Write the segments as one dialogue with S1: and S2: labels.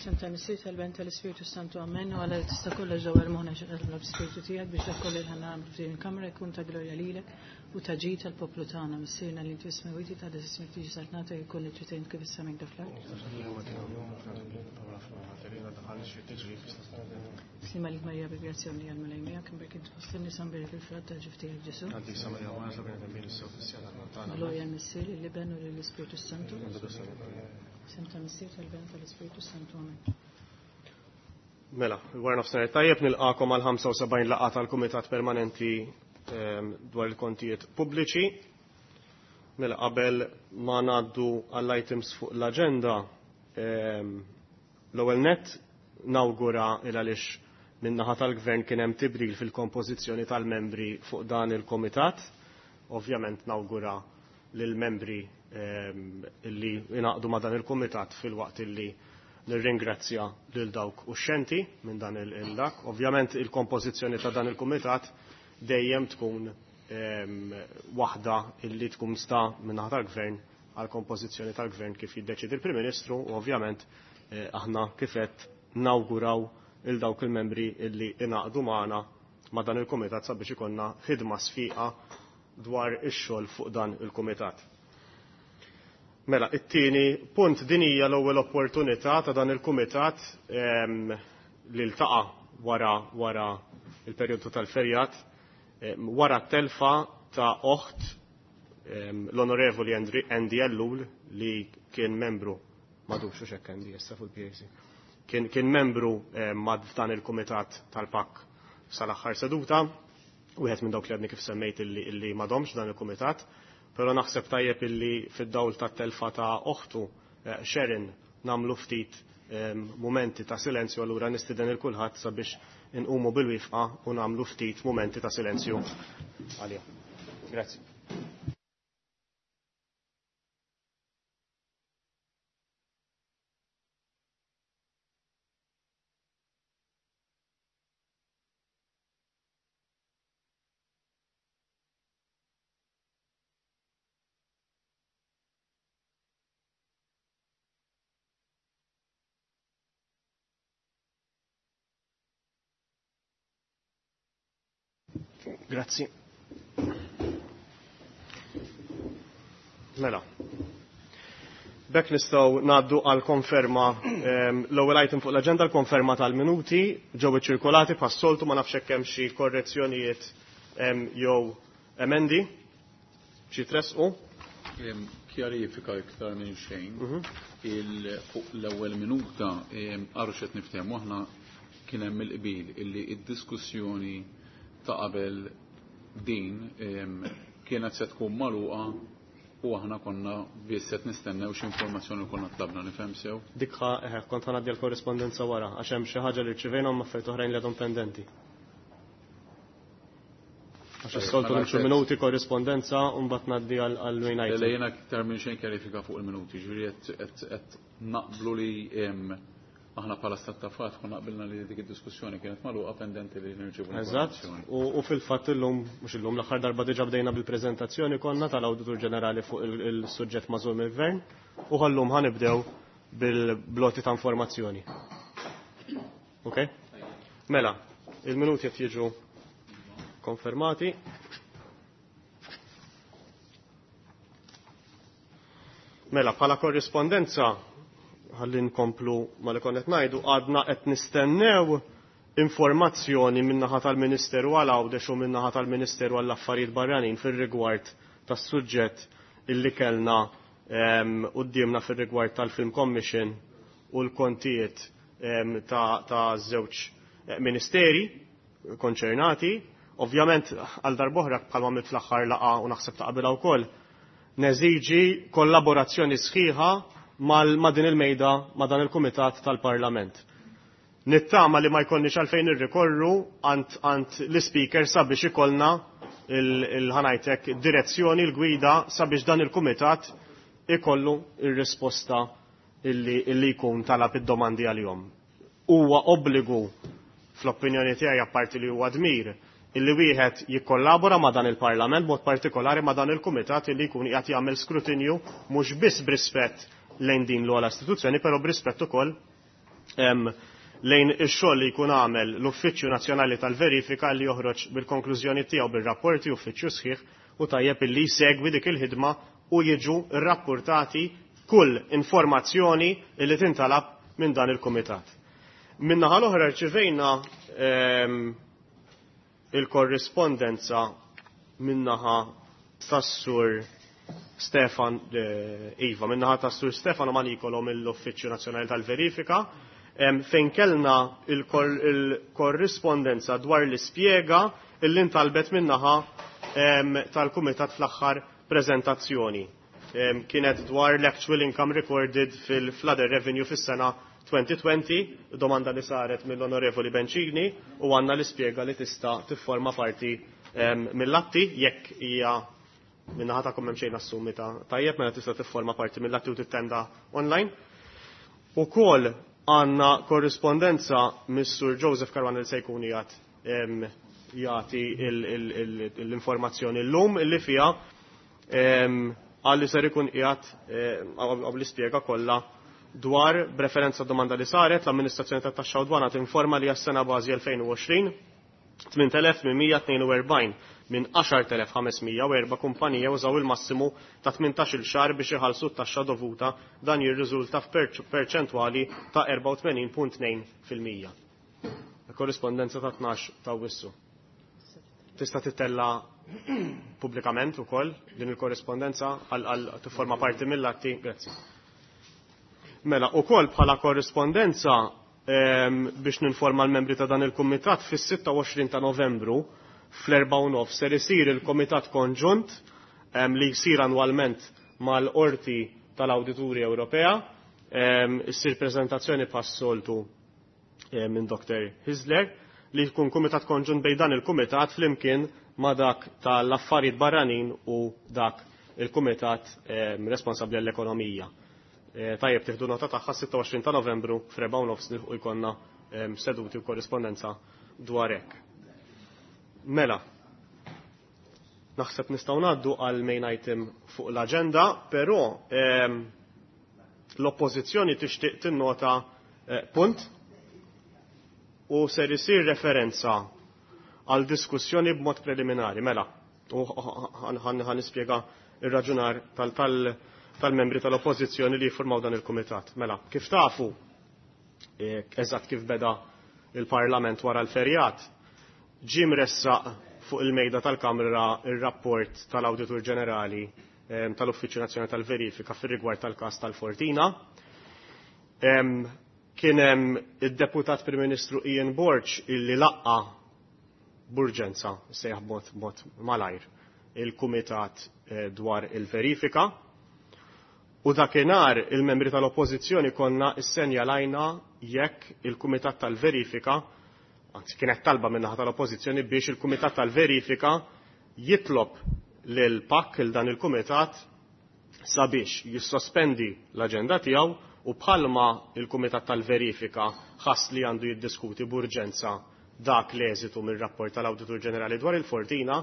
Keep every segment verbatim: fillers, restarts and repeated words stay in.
S1: F'isem tal-Missier, tal-Ben, tal-Ispirtu Santu, amen. U għala li tista' kollha ġewwa l-moħħna xi qed b'Spirtu tiegħek biex dak kollu li ħa nagħmlu f'din il-kamra jkun ta' glorja lilek u ta' ġid tal-poplu tagħna. Missierna li inti smewiti ta' ismek tiġi saltnata jkun li trid kif is-sema fl-art. Slima lik Marija bi grazzja li għal-Mulej miegħek, imbierek int fost in-nisa mbierek il-frott tal-ġuf tiegħek Ġesù. Glorja l-Missier, lill-Iben u lill-Ispirtu Santu. F'isem tal-Missier, tal-Ben, tal-Ispirtu Santu, amen.
S2: Mela, wara nofsinhar tajjeb nilqakom għal ħamsa u sebgħin laqgħa tal-Kumitat Permanenti ehm, dwar il-kontijiet pubbliċi. Mela, qabel ma ngħaddu għall-items fuq l-aġenda, ehm, l-ewwel nett nawgura il għaliex min-naħa tal-Gvern kien hemm tibdil fil-kompożizzjoni tal-membri fuq dan il-Kumitat. Ovvjament nawgura lill-membri ehm, illi ingħaqdu ma' dan il-Kumitat fil-waqt illi nirringrazzja lil dawk uxxenti minn dan il-dak. Ovvjament il-kompożizzjoni ta' dan il-Kumitat dejjem tkun ehm, waħda illi tkun sta min-naħa tal-Gvern għal kompożizzjoni tal-Gvern kif jiddeċidi il-Prim Ministru u ovvjament eh, aħna kif qed nawguraw il dawk il-membri illi ingħaqdu magħna ma' dan il-Kumitat sabiex ikollna ħidma sfiqa dwar ix-xogħol fuq dan il-Kumitat. Mela, it-tieni punt din hija l-ewwel opportunità ta' dan il-Kumitat, ehm, li ltaqa' wara, wara il-perjodu tal-ferjat, ehm, wara t-telfa ta' oħt, ehm, l-Onorevoli Andy Ellul li kien membru, madux u xekk Andy issa fuq il-P A C, kien, kien membru, ehm, ma' dan il-Kumitat tal-P A C sal-aħħar seduta, wieħed minn dawk li għadni kif semmejt illi, illi m'għadhomx dan il-Kumitat, però naħseb tajjeb illi fid-dawl tat-telfa ta' oħtu, eh, Sharon nagħmlu ftit, ehm, mumenti ta' silenzju, allura nistieden il kulħadd sabiex inqumu bil-wifqa u nagħmlu ftit mumenti ta' silenzju għalija. Grazzi. Grazzi. Mela. B'hekk nistgħu ngħaddu għal konferma, ehm, l-ewwel item fuq l-aġenda, l-konferma tal-minuti ġew iċċirkolati bħas-soltu, ma nafx hekk hemm xi korrezzjonijiet, ehm, jew emendi xi tresqu.
S3: Ehm, kjarifika iktar minn xejn.
S2: Mhm.
S3: Il-, fuq l-ewwel minuta, ehm, għarxet niftehmu aħna kien hemm il-qbil illi id-diskussjoni ta' qabel din, ehm, kienet se tkun magħluqa u aħna konna biss qed nistennew x'informazzjoni li konna tlabna, nifhem sew.
S2: Dik ħa, eh, kont ħa ngħaddi l-korrispondenza wara għax hemm xi ħaġa li rċivejna u affarijiet oħrajn li għadhom pendenti. Għax
S3: Tajjeb,
S2: is-soltu
S3: mela
S2: nimxu
S3: qed-
S2: minuti korrispondenza u mbagħad ngħaddi għal, għal main item.
S3: Le, jiena iktar minn xejn kjarifika fuq il-minuti, ġifieri qed, qed, qed naqblu li hemm aħna bħala stat ta' fatt konna qbilna li dik id-diskussjoni kienet magħluqa pendenti li nirċievu
S2: Eżatt,
S3: l-informazzjoni.
S2: u, u fil-fatt illum, mhux illum, l-aħħar darba diġà bdejna bil-preżentazzjoni konna tal-Awditur Ġenerali fuq il-, il-suġġett magħżul mill-Gvern u ħallum ħanibdew bil-bloti ta' informazzjoni. Ok? Mela, il-minuti qed jiġu konfermati. Mela, bħala korrispondenza ħalli nkomplu ma li konna qed ngħidu, għadna qed nistennew informazzjoni min-naħa tal-Ministeru għal Għawdex u min-naħa tal-Ministeru għall Affarijiet Barranin fir-rigward tas-suġġett illi kellna, ehm, quddiemna fir-rigward tal-Film Commission u l-kontijiet, ehm, ta', ta' żewġ, eh, ministeri konċernati. Ovvjament għal darb'oħra bħalma għamilt fl-aħħar laqgħa u naħseb ta' qabilha wkoll, neżiġi kollaborazzjoni sħiħa mal-, ma' din il-mejda, ma' dan il-Kumitat tal-Parlament. Nittama li ma jkollniex għalfejn irrikorru għand, għand l-speaker sabiex ikollna il-, il-ħanajtek direzzjoni, l-gwida sabiex dan il-Kumitat ikollu ir-risposta illi, illi jkun talab id-domandi għalihom. Huwa obbligu fl-opinjoni tiegħi, apparti li huwa dmir, illi wieħed jikkollabora ma' dan il-Parlament, mod partikolari ma' dan il-Kumitat illi jkun qiegħed jagħmel skrutinju mhux biss b'rispett lejn din l-ogħla istituzzjoni, però b'rispett ukoll lejn ix-xogħol li jkun għamel l-Uffiċċju Nazzjonali tal-Verifika li joħroġ bil-konklużjoni tiegħu bir-rapporti uffiċċju sħiħ u tajjeb illi jsegwi dik il-ħidma u jiġu rrappurtati kull informazzjoni li tintalab minn dan il-kumitat. Min-naħa l-oħra rċivejna il-korrispondenza min-naħa tas-sur Stefan Iva, min-naħa tas-sur Stefano Manicolo mill-Uffiċċju Nazzjonali tal-Verifika, fejn kellna il-korrispondenza dwar l-ispjega illi ntalbet min-naħa tal-Kumitat fl-aħħar prezentazzjoni. Kienet dwar l-actual income recorded fil-flooded revenue fis-sena twenty twenty, domanda li saret mill-Onorevoli Bencini, u għanna l-ispjega li tista' tifforma parti mill-atti jekk hija minnaħa tagħkom hemm xejn assumi ta' tajjeb mela tista' tifforma parti mill-atti u tittenda online. Ukoll għandna korrispondenza mis-Sur Joseph Caruana li se jkun jgħat jagħti l-informazzjoni llum illi fiha għalli ser ikun qiegħed għaw l-ispjega kollha dwar b'referenza domanda li saret l-Amministrazzjoni tat-Taxxa u Dwana tinforma li għas-sena bażi elfejn u għoxrin tmien elef mija tnejn u erbgħin minn għaxar telef ħames mija u erba' kumpanija użaw il-massimu ta' tmintax-il xahar biex iħallsu t-taxxa dovuta, dan jirriżulta f'perċentwali ta' erbgħa u tmenin punt tnejn fil-mija. Korrispondenza ta' tnax ta' Awwissu. Tista' titella pubblikament ukoll din il-korrispondenza għal tifforma parti mill-atti. Grazzi. Mela, ukoll bħala korrispondenza biex ninforma l-membri ta' dan il-kumitat fis-sitta u għoxrin ta' Novembru fl-erbgħa u nofs ser isir il-Kumitat Konġunt li jsir annwalment mal-Qorti tal-Awdituri Ewropea. Issir preżentazzjoni bħas-soltu minn Doktor Hyzler li jkun kumitat konġunt bejn dan il-kumitat flimkien ma' dak tal-affarijiet barranin u dak il-kumitat responsabbli għall-ekonomija. Tajjeb tieħdu nota tagħha sitta u għoxrin ta' Novembru f'rebgħa u nofs u jkollna seduti u korrispondenza dwar hekk. Mela, naħseb nistgħu ngħaddu għal main item fuq l-aġenda, però l-oppożizzjoni tixtieq tinnota punt u ser isir referenza għal diskussjoni b'mod preliminari. Mela, u ħan nispjega ir-raġunar tal-membri tal-oppożizzjoni li jiffurmaw dan il-kumitat. Mela, kif tafu, eżatt kif beda il-Parlament wara l-ferjat, ġie mressaq fuq il-mejda tal-Kamra ir-rapport tal-Awditur Ġenerali tal-Uffiċċju Nazzjonali tal-Verifika fir-rigward tal-każ tal-Fortina. Kien hemm id-Deputat Prim Ministru Ian Borg illi laqqa b'urġenza, sejjaħ b'mod b'mod malajr, il-Kumitat dwar il-verifika. U dakinhar il-membri tal-Oppożizzjoni konna issenjalajna jekk il-Kumitat tal-Verifika, anzi kienet talba min-naħa tal-Oppożizzjoni biex il-Kumitat tal-Verifika jitlob lil P A C, il dan il-Kumitat, sabiex jissospendi l-aġenda tiegħu u bħalma il-Kumitat tal-Verifika ħass li għandu jiddiskuti b'urġenza dak l-eżitu mir-rapport tal-Awditur Ġenerali dwar il-Fortina,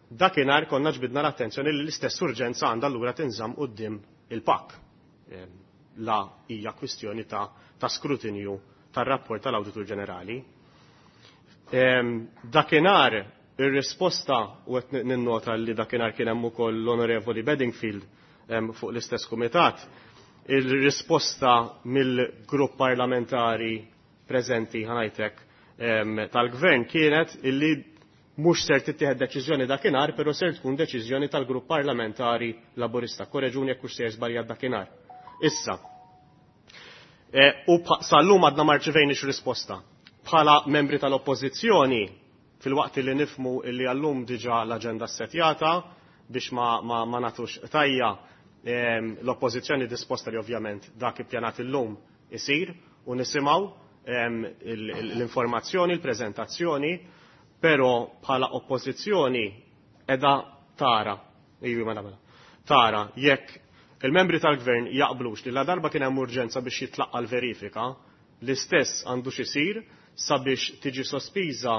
S2: dakinhar konna ġbidna l-attenzjoni li l-istess urġenza għandha allura tinżamm quddiem il-P A C. La hija kwistjoni ta', ta' skrutinju tar-rapport tal-Awditur Ġenerali. Dakinhar ir-risposta, u qed ninnota li dakinhar kien hemm ukoll l-Onorevoli Bedingfield fuq l-istess kumitat, il-risposta mill-grupp parlamentari preżenti ħanajtek tal-gvern kienet illi mhux ser tittieħed deċiżjoni dakinhar, però ser tkun deċiżjoni tal-grupp parlamentari Laburista. Korreġuni jekk hux ser żbaljat dakinhar. Issa, u sal-lum għadna ma rċevejniex risposta. Bħala membri tal-Oppożizzjoni, fil-waqt li nifmu illi għallum diġà l-aġenda ssetjata biex ma, ma, ma nagħtux tajja, l-Oppożizzjoni disposta li ovvjament dak ippjanat illum isir u nisimgħu l-informazzjoni, l-preżentazzjoni, però bħala oppożizzjoni edha tara, iju, mela, mela, tara jekk il-membri tal-gvern jaqblux li la darba kien hemm urġenza biex jitlaqqa l-verifika, l-istess għandu xisir sabiex tiġi sospiża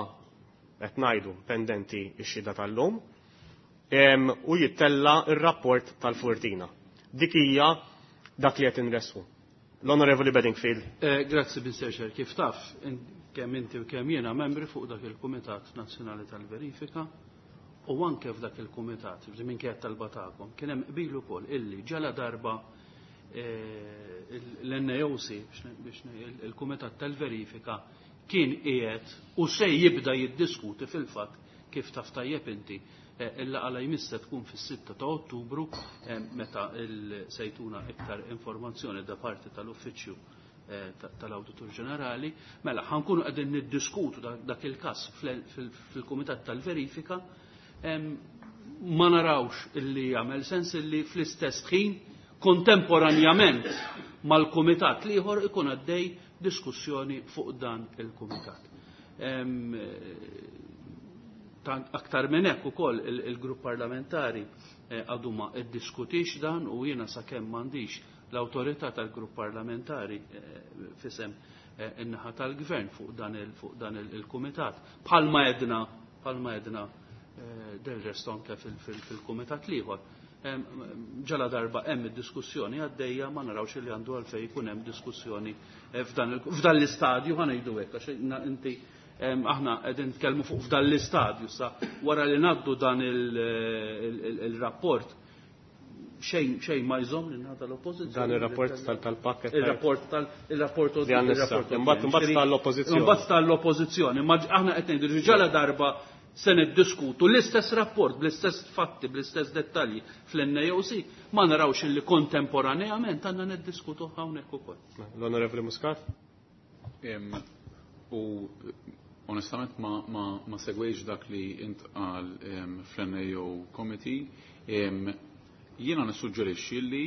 S2: qed ngħidu pendenti x-xhieda tal-lum, u jittella r-rapport tal-Fortina. Dik hija dak li qed inresqu. L-Onorevoli Bedingfield.
S4: Eh, grazzi, Mister Chair. Kif taf, kemm inti u kemm jiena membri fuq dak il-Kumitat Nazzjonali tal-Verifika u anke f'dak il-Kumitat, minkejja talba tagħkom, kien hemm qbil ukoll illi ġala darba eh, l-N A O C, biex il-Kumitat tal-Verifika kien qiegħed u se jibda jiddiskuti. Fil-fatt, kif taf tajjeb inti, eh, il-laqgħa jmissa tkun fis-sitta ta' Ottubru, eh, meta se jtuna iktar informazzjoni da parti tal-Uffiċċju eh, tal-Awditur Ġenerali. Mela ħa nkunu qegħdin niddiskutu dak il-każ fil-Kumitat tal-Verifika. Ma narawx illi jagħmel sens illi fl-istess ħin, kontemporanjament mal-kumitat l-ieħor, ikun għaddej diskussjoni fuq dan il-kumitat. Aktar minn hekk ukoll, il-grupp parlamentari eh, għadu ma iddiskutix dan u jiena sakemm m'għandix l-awtorità tal-grupp parlamentari eh, f'isem eh, in-naħa tal-gvern fuq dan il-kumitat. Bħalma għedna, bħalma għedna del resto anke fil-kumitat l-ieħor. Ġala darba hemm id-diskussjoni għaddejja, ma narawx li għandu għalfejn jkun hemm diskussjoni f'dan l-istadju, ħa ngħidu hekk, għax inti aħna qegħdin nitkellmu fuq f'dan l-istadju. Sa wara li ngħaddu dan il-rapport, xejn xejn ma jżomm lil naħa tal-oppożizzjoni.
S2: Dan ir-rapport tal-pakket.
S4: Il-rapport tal il-rapport.
S2: Imbagħad tal-oppożizzjoni.
S4: Imbagħad tal-oppożizzjoni. Ma aħna qed ngħidu ġala darba se niddiskutu l-istess rapport, bl-istess fatti, bl-istess dettalji fl-N A O C, ma narawx illi kontemporaneament għandna niddiskutu hawnhekk ukoll.
S2: L-Onorevoli Muscat?
S3: U onestament ma, ma, ma segwejx dak li intqal fl-N A O Committee. Jiena nissuġġerixxi li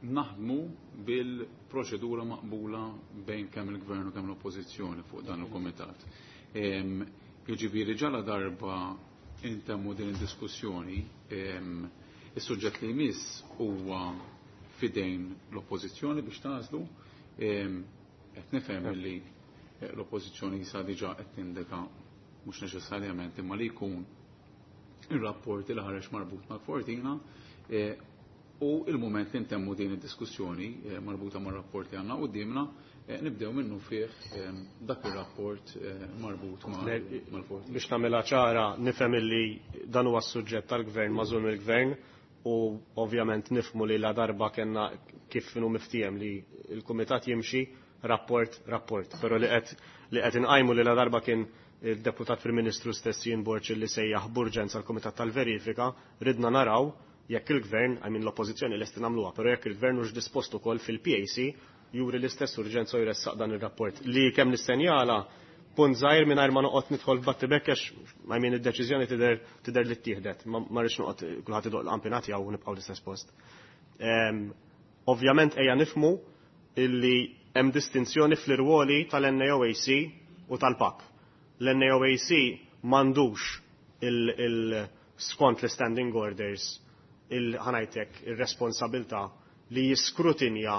S3: naħdmu bil-proċedura maqbula bejn kemm il-gvern u kemm l-oppożizzjoni fuq dan il-komitat. Jiġifieri ġala darba intemmu din id-diskussjoni, is-suġġett li jmiss huwa fidejn l-oppożizzjoni biex tagħżlu. Qed nifhem li l-oppożizzjoni jisa diġà qed tindika mhux neċessarjament imma li jkun ir-rapport li ħareġ marbut mal-Fortina, e, u il-moment li ntemmu din id-diskussjoni e, marbuta mar-rapport li għandna qudiemna, e, nibdew minnu fih dak ir-rapport marbut mal-Fortina.
S2: Biex nagħmilha ċara, nifhem illi dan huwa s-suġġett tal-gvern, magħżul mill-gvern, u ovvjament nifhmu li la darba kellna kif inhu miftiehem li l-kumitat jimxi rapport rapport, però li qed li qed inqajmu li la darba kien il-deputat Prim Ministru stess Ian Borg li sejjaħ b'urġenza l-Kumitat tal-Verifika, ridna naraw jekk il-gvern, I mean, l-oppożizzjoni lesti nagħmluha, però jekk il-gvern hux dispost ukoll fil-P A C juri l-istess urġenza u jressaq dan ir-rapport. Li kemm nissenjala punt żgħir mingħajr ma noqgħod nidħol f'battibekk, għax, I mean, id-deċiżjoni tidher tidher li ttieħdet. Ma rridx noqgħod kulħadd idoq l-qampinat jew nibqgħu l-istess post. Ovvjament ejja nifhmu illi hemm distinzjoni fl-irwoli tal-N A O A C u tal-P A C. L-N A O A C m'għandux il-skont l-standing orders il-ħa ngħidlek il-responsabilta li jiskrutinja,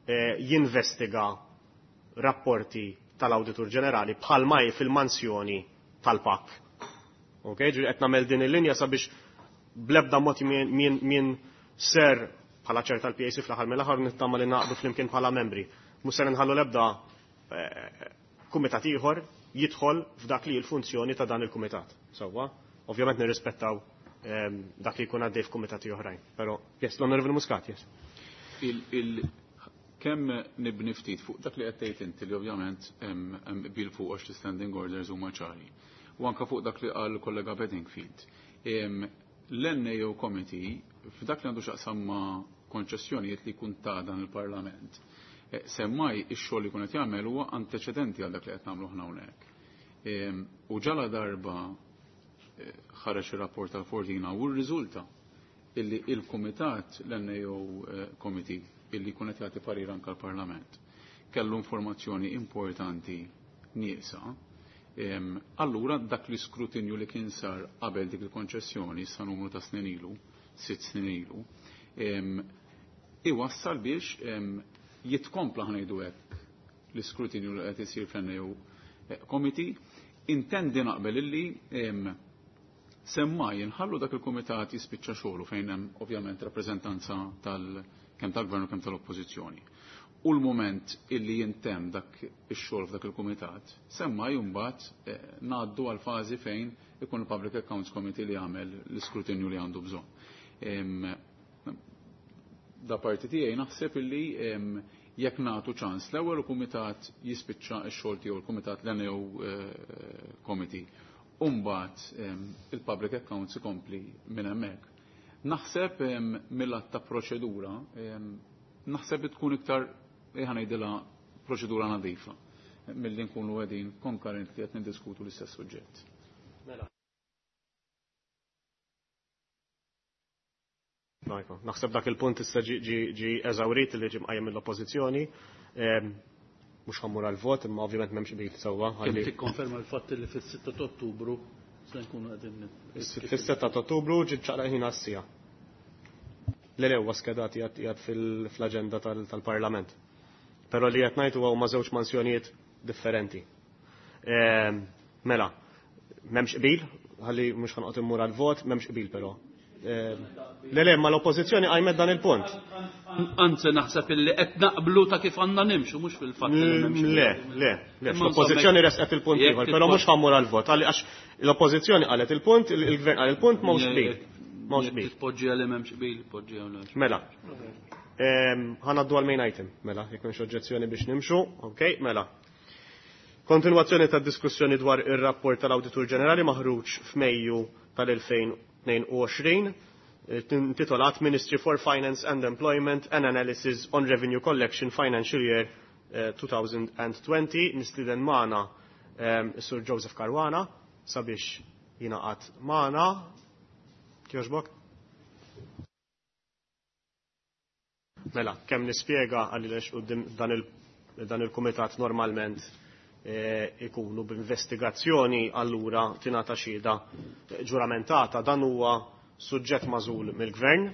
S2: eh, jinvestiga rapporti tal-Awditur Ġenerali bħalma hi fil-mansjoni tal-P A C. Ok, ġifieri qed nagħmel din il-linja sabiex blebda mod min ser bħala chair tal-P A C fl-aħħar mill-aħħar nittama li naqdu flimkien bħala membri. Mhux ser nħallu lebda eh, kumitat ieħor jidħol f'dak li l-funzjoni ta' dan il-kumitat. Sewwa, ovvjament nirrispettaw ehm, dak li jkun għaddej f'kumitati oħrajn. Però, yes, l-Onorevoli Muscat, yes.
S3: Il, kemm nibni ftit fuq dak li qed tgħid inti li ovvjament hemm qbil fuq għax l-standing orders huma ċari. U anka fuq dak li qal kollega Bedingfield. L-N A O Committee f'dak li għandu x'jaqsam ma' konċessjonijiet li jkun ta' dan il-Parlament, Eh, semmai ix-xogħol li kun qed jagħmel huwa anteċedenti għal dak li qed nagħmlu aħna hawnhekk. U ġala darba eh, ħareġ ir-rapport tal-Fortina u rriżulta illi il-Kumitat, l-N A O eh, Committee, illi jkun qed jagħti parir anke l-Parlament, kellu informazzjoni importanti nieqsa, allura dak l-iskrutinju li kien sar qabel dik il-konċessjoni sa numru ta' snin ilu, sitt snin ilu, iwassal biex jitkompla, ħa ngħidu hekk, l-iskrutinju li qed isir fl-N A O Committee. Intendi naqbel illi semmaj nħallu dak il-kumitat jispiċċa xogħlu fejn hemm ovvjament rappreżentanza tal kemm tal-gvern u kemm tal-oppożizzjoni. U l-moment illi jintem dak ix-xogħol f'dak il-kumitat, semma mbagħad eh, ngħaddu għal fażi fejn ikun il-Public Accounts Committee li jagħmel l-iskrutinju li għandu bżonn. Da parti tiegħi naħseb illi jekk nagħtu ċans l-ewwel kumitat jispiċċa x-xogħol tiegħu l-kumitat l-N A O eh, Committee, u mbagħad il-Public Accounts ikompli minn hemmhekk. Naħseb mill-att ta' proċedura, naħseb li tkun iktar ħa ngħidilha proċedura nadifa milli nkunu qegħdin konkurrenti qed niddiskutu l-istess suġġett.
S2: Mela. Naħseb dak il-punt issa ġi eżawrit li ġi mqajjem mill-oppożizzjoni. Mhux ħammur għal-vot, imma ovvjament m'hemmx qbil sewwa.
S4: Kemm tikkonferma l-fatt li fis-sitta ta' Ottubru se nkunu qegħdin
S2: Fis-sitta ta' Ottubru ġi ċaqlaq ħin għas-sija. Le le huwa skedat qiegħed fl-aġenda tal-Parlament. Però li qed ngħid huwa huma żewġ mansjonijiet differenti. Mela, m'hemmx qbil, ħalli mhux ħanqod immur għal-vot, m'hemmx qbil però. Le le, ma l-oppożizzjoni qajmet dan il-punt.
S4: Anzi naħseb illi qed naqblu ta' kif għandna nimxu, mhux fil-fatt li m'hemmx qbil.
S2: Le, le, le, l-oppożizzjoni resqet il-punt ieħor, però mhux ħammur għal-vot, għax l-oppożizzjoni qalet il-punt, il-gvern qal il-punt, m'hawnx qbil. M'hawnx qbil.
S4: Tpoġġi għal m'hemmx qbil, tpoġġi għal m'hemmx.
S2: Mela. Ħanaddu għal main item, mela, jekk m'hemmx oġġezzjoni biex nimxu, ok, mela. Kontinwazzjoni tad diskussjoni dwar ir-rapport tal-Awditur Ġenerali maħruġ f'Mejju tal-elfejn tnejn u għoxrin, intitolat Ministry for Finance and Employment and Analysis on Revenue Collection Financial Year two thousand twenty. Nistieden magħna is-Sur Joseph Caruana sabiex jingħaqad magħna. Kjoġbok? Mela, kemm nispjega għaliex quddiem dan il-kumitat normalment ikunu b'investigazzjoni allura tingħata xhieda ġuramentata. Dan huwa suġġett magħżul mill-gvern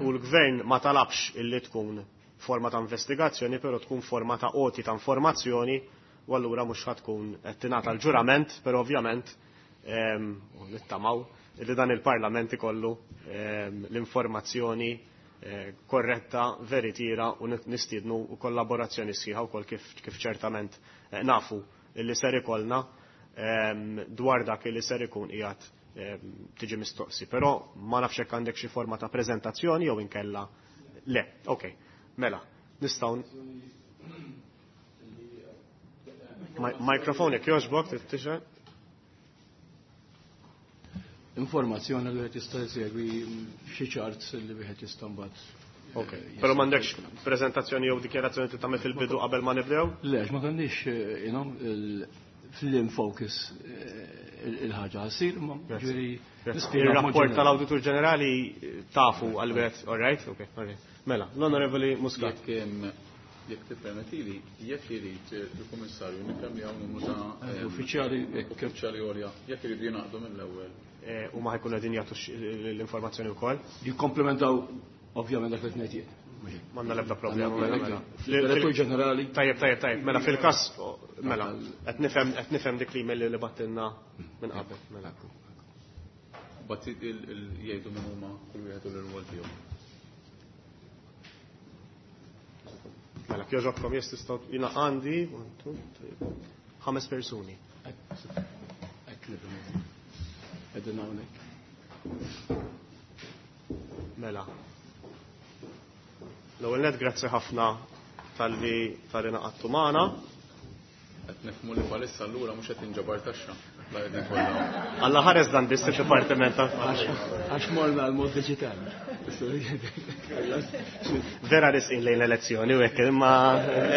S2: u l-gvern ma talabx illi tkun forma ta' investigazzjoni, però tkun forma ta' għoti ta' informazzjoni u allura mhux ħa tkun qed tingħata l-ġurament, però ovvjament u nittamaw illi dan il-Parlament ikollu l-informazzjoni korretta, veritiera u nistiednu u kollaborazzjoni sħiħa wkoll kif ċertament nafu illi ser ikollna dwar dak illi ser ikun qiegħed tiġi mistoqsi. Però ma nafx hekk għandek xi forma ta' preżentazzjoni jew inkella le. Ok, mela, nistgħu Mikrofon jekk jogħġbok trid tixgħel.
S5: Informazzjoni li wieħed jista' jsegwi xi charts li wieħed jista' mbagħad.
S2: Ok, però m'għandekx preżentazzjoni jew dikjarazzjoni li tagħmel fil-bidu qabel ma nibdew?
S5: Le, ma kenniex, you know, fil-focus il-ħaġa ssir, ma ġifieri nispjega
S2: Il-rapport
S5: b'mod ġenerali.
S2: tal-Awditur Ġenerali tafu għal-wieħed, all right? Ok, all right. Mela, l-Onorevoli Muscat.
S3: Jekk jekk tippermettili, jekk irid il-Kummissarju nifhem li hawn numru ta'
S5: Eh, uffiċjali, jekk
S3: uffiċjali għolja, jekk iridu jingħaqdu mill-ewwel.
S2: Eh, u ma ħajkunu qegħdin jagħtu l-informazzjoni wkoll.
S5: Jikkomplementaw ovvjament dak li qed ngħid jien.
S2: M'għandna l-ebda problema.
S5: Għandna
S2: Mela,
S5: l-ebda.
S2: mela.
S5: Direttur ġenerali.
S2: Tajjeb, tajjeb, tajjeb. Mela fil-każ, mela, qed nifhem, qed nifhem dik l-email li battilna minn qabel. Mela.
S3: Bat jgħidu minn huma kull wieħed u l-irwol tiegħu.
S2: Mela, kjoġobkom jes tistgħu jiena għandi, one, two, three, ħames persuni.
S5: Qegħdin hawnhekk.
S2: Mela. L-ewwel nett grazzi ħafna talli talli naqattu magħna.
S3: Qed nifhmu li bħalissa allura mhux qed inġabar taxxa. La qegħdin kollha.
S2: Alla ħares dan biss id-dipartiment ta'
S5: Għax morna għal mod diġitali.
S2: Vera risqin lejn l-elezzjoni u hekk, imma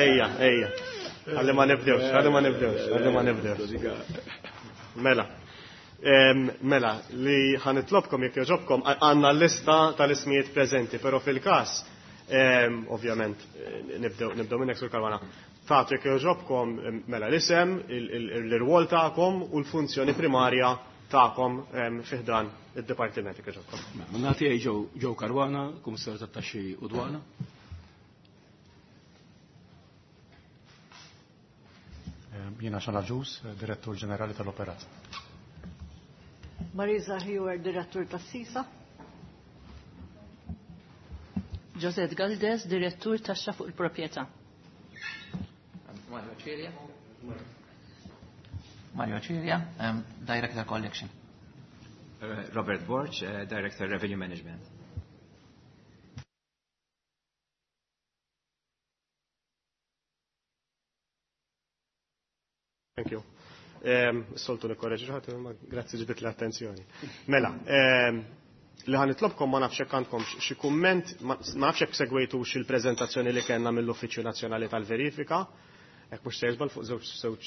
S2: ejja, ejja. Ħalli ma nibdewx, ħalli ma nibdewx, ħalli ma nibdewx. Mela. Em, mela, li ħanitlobkom jekk jogħġobkom, għandna l-lista tal-ismijiet preżenti, però fil-każ, em, ovvjament, nibdew, nibdew minnek Sur Caruana. Tagħtu jekk jogħġobkom, mela l-isem, il-, il-, l-irwol tagħkom u l-funzjoni primarja tagħkom, em, fi ħdan id-dipartiment jekk jogħġobkom.
S5: Mela, nagħti Joe, Joe Caruana, Kummissarju tat-Taxxi u Dwana.
S6: Jiena Sean Agius, Direttur Ġenerali tal-Operat.
S1: Marisa Hewer, Direttur tas-Sisa.
S7: Josette Galdes, Direttur Taxxa fuq il-Proprjetà. Mario Cilia. Mario Cilia, um, Director Collection.
S8: Uh, Robert Borch, uh, Director Revenue Management.
S2: Thank you. Um, soltu nikkorreġi ħadd, imma grazzi ġbit l-attenzjoni. Mela, um, li ħa nitlobkom ma nafx hekk għandkom xi kumment, ma nafx hekk segwejtux il-preżentazzjoni li kellna mill-Uffiċċju Nazzjonali tal-Verifika, hekk mhux se jiżbal fuq żewġ żewġ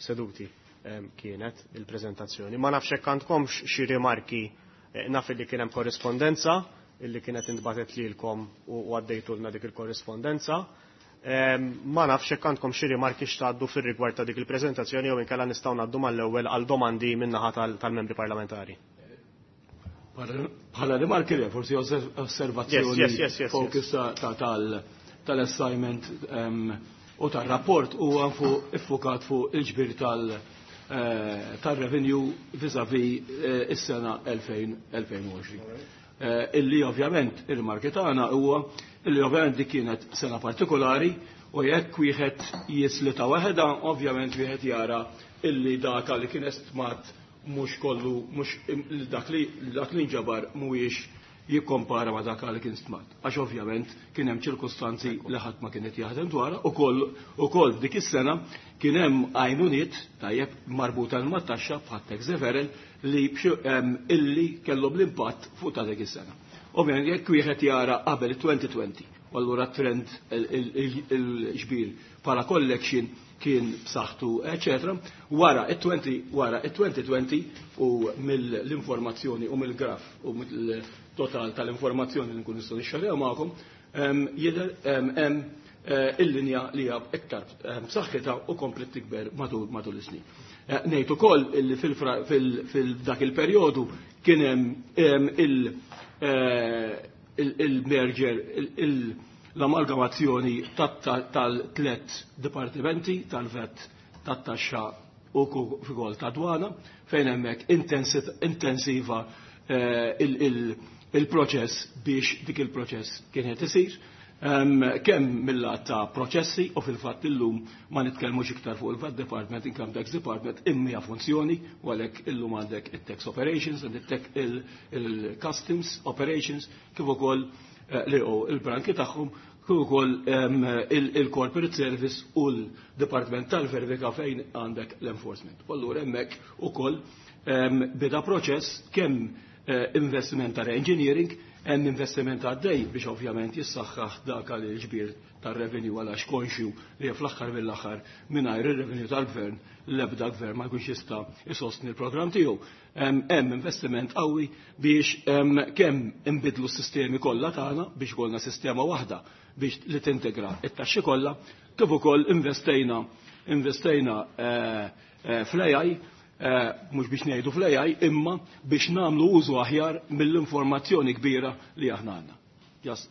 S2: seduti um, kienet il-preżentazzjoni. Ma nafx hekk għandkomx xi rimarki, eh, naf li kien hemm korrispondenza illi kienet intbatet lilkom u għaddejtulna dik il-korrispondenza. Ma nafx hekk għandkom xi rimarki x'tgħaddu fir-rigward ta' dik il-preżentazzjoni jew inkella nistgħu ngħaddu mal-ewwel għal domandi min-naħa tal-membri parlamentari.
S5: Bħala rimarki le, forsi osservazzjoni focus tal-assignment u tal-rapport huwa fuq iffukat fuq il-ġbir tal-revenue vis-à-vis is-sena elfejn u għoxrin. Illi ovvjament il-rimarki tagħna huwa illi ovvjament dik kienet sena partikolari u jekk wieħed jislita waħedha, ovvjament wieħed jara illi data li kien estmat mhux kollu, mhux dak li dak li nġabar mhuwiex jikkompara ma dak li kien stmat. Għax ovvjament kien hemm ċirkustanzi li ħadd ma kienet jaħdem dwarha u ukoll dik is-sena kien hemm għajnuniet tajjeb marbuta mat-taxxa bħat tax deferral li illi kellhom l-impatt fuq ta' dik is-sena. Ovvjament jekk wieħed jara qabel twenty twenty, u allura trend il-ġbir bħala collection kien b'saħħtu, eċetera. Wara it-twenty, wara it-twenty twenty u mill-informazzjoni u mill-graf u mill-total tal-informazzjoni li nkun nistgħu nixxerjaw magħkom, jidher hemm il-linja li hija iktar b'saħħitha u komplet tikber matul matul is-snin. Ngħid ukoll illi fil-dak il-perjodu kien hemm il-merger, l-amalgamazzjoni tal-tlet dipartimenti, tal-vet, tat-taxxa u kif ta' dwana, fejn hemmhekk intensiva il-proċess biex dik il-proċess kien qed isir. Kemm mill-lat ta' proċessi u fil-fatt illum ma nitkellmux iktar fuq il-V A T Department, Income Tax Department, imma hija funzjoni u għalhekk illum għandek it-Tax Operations, għandek il-Customs Operations, kif ukoll li hu il-branki tagħhom, kif ukoll il-Corporate Service u l-Department tal-Verifika fejn għandek l-enforcement. U allura hemmhekk ukoll beda proċess kemm investiment ta' engineering, hemm investiment għaddej biex ovvjament jissaħħaħ dak għal il-ġbir tar-revenue għal għax konxju li fl-aħħar mill-aħħar mingħajr ir-revenue tal-gvern l-ebda gvern ma jkunx jista' isostni l-programm tiegħu. Hemm investiment qawwi biex kemm inbidlu s-sistemi kollha tagħna biex ikollna sistema waħda biex li tintegra it-taxxi kollha, kif ukoll investejna, investejna fl-A I, mhux biex ngħidu fl-A I, imma biex nagħmlu użu aħjar mill-informazzjoni kbira li aħna għandna. Just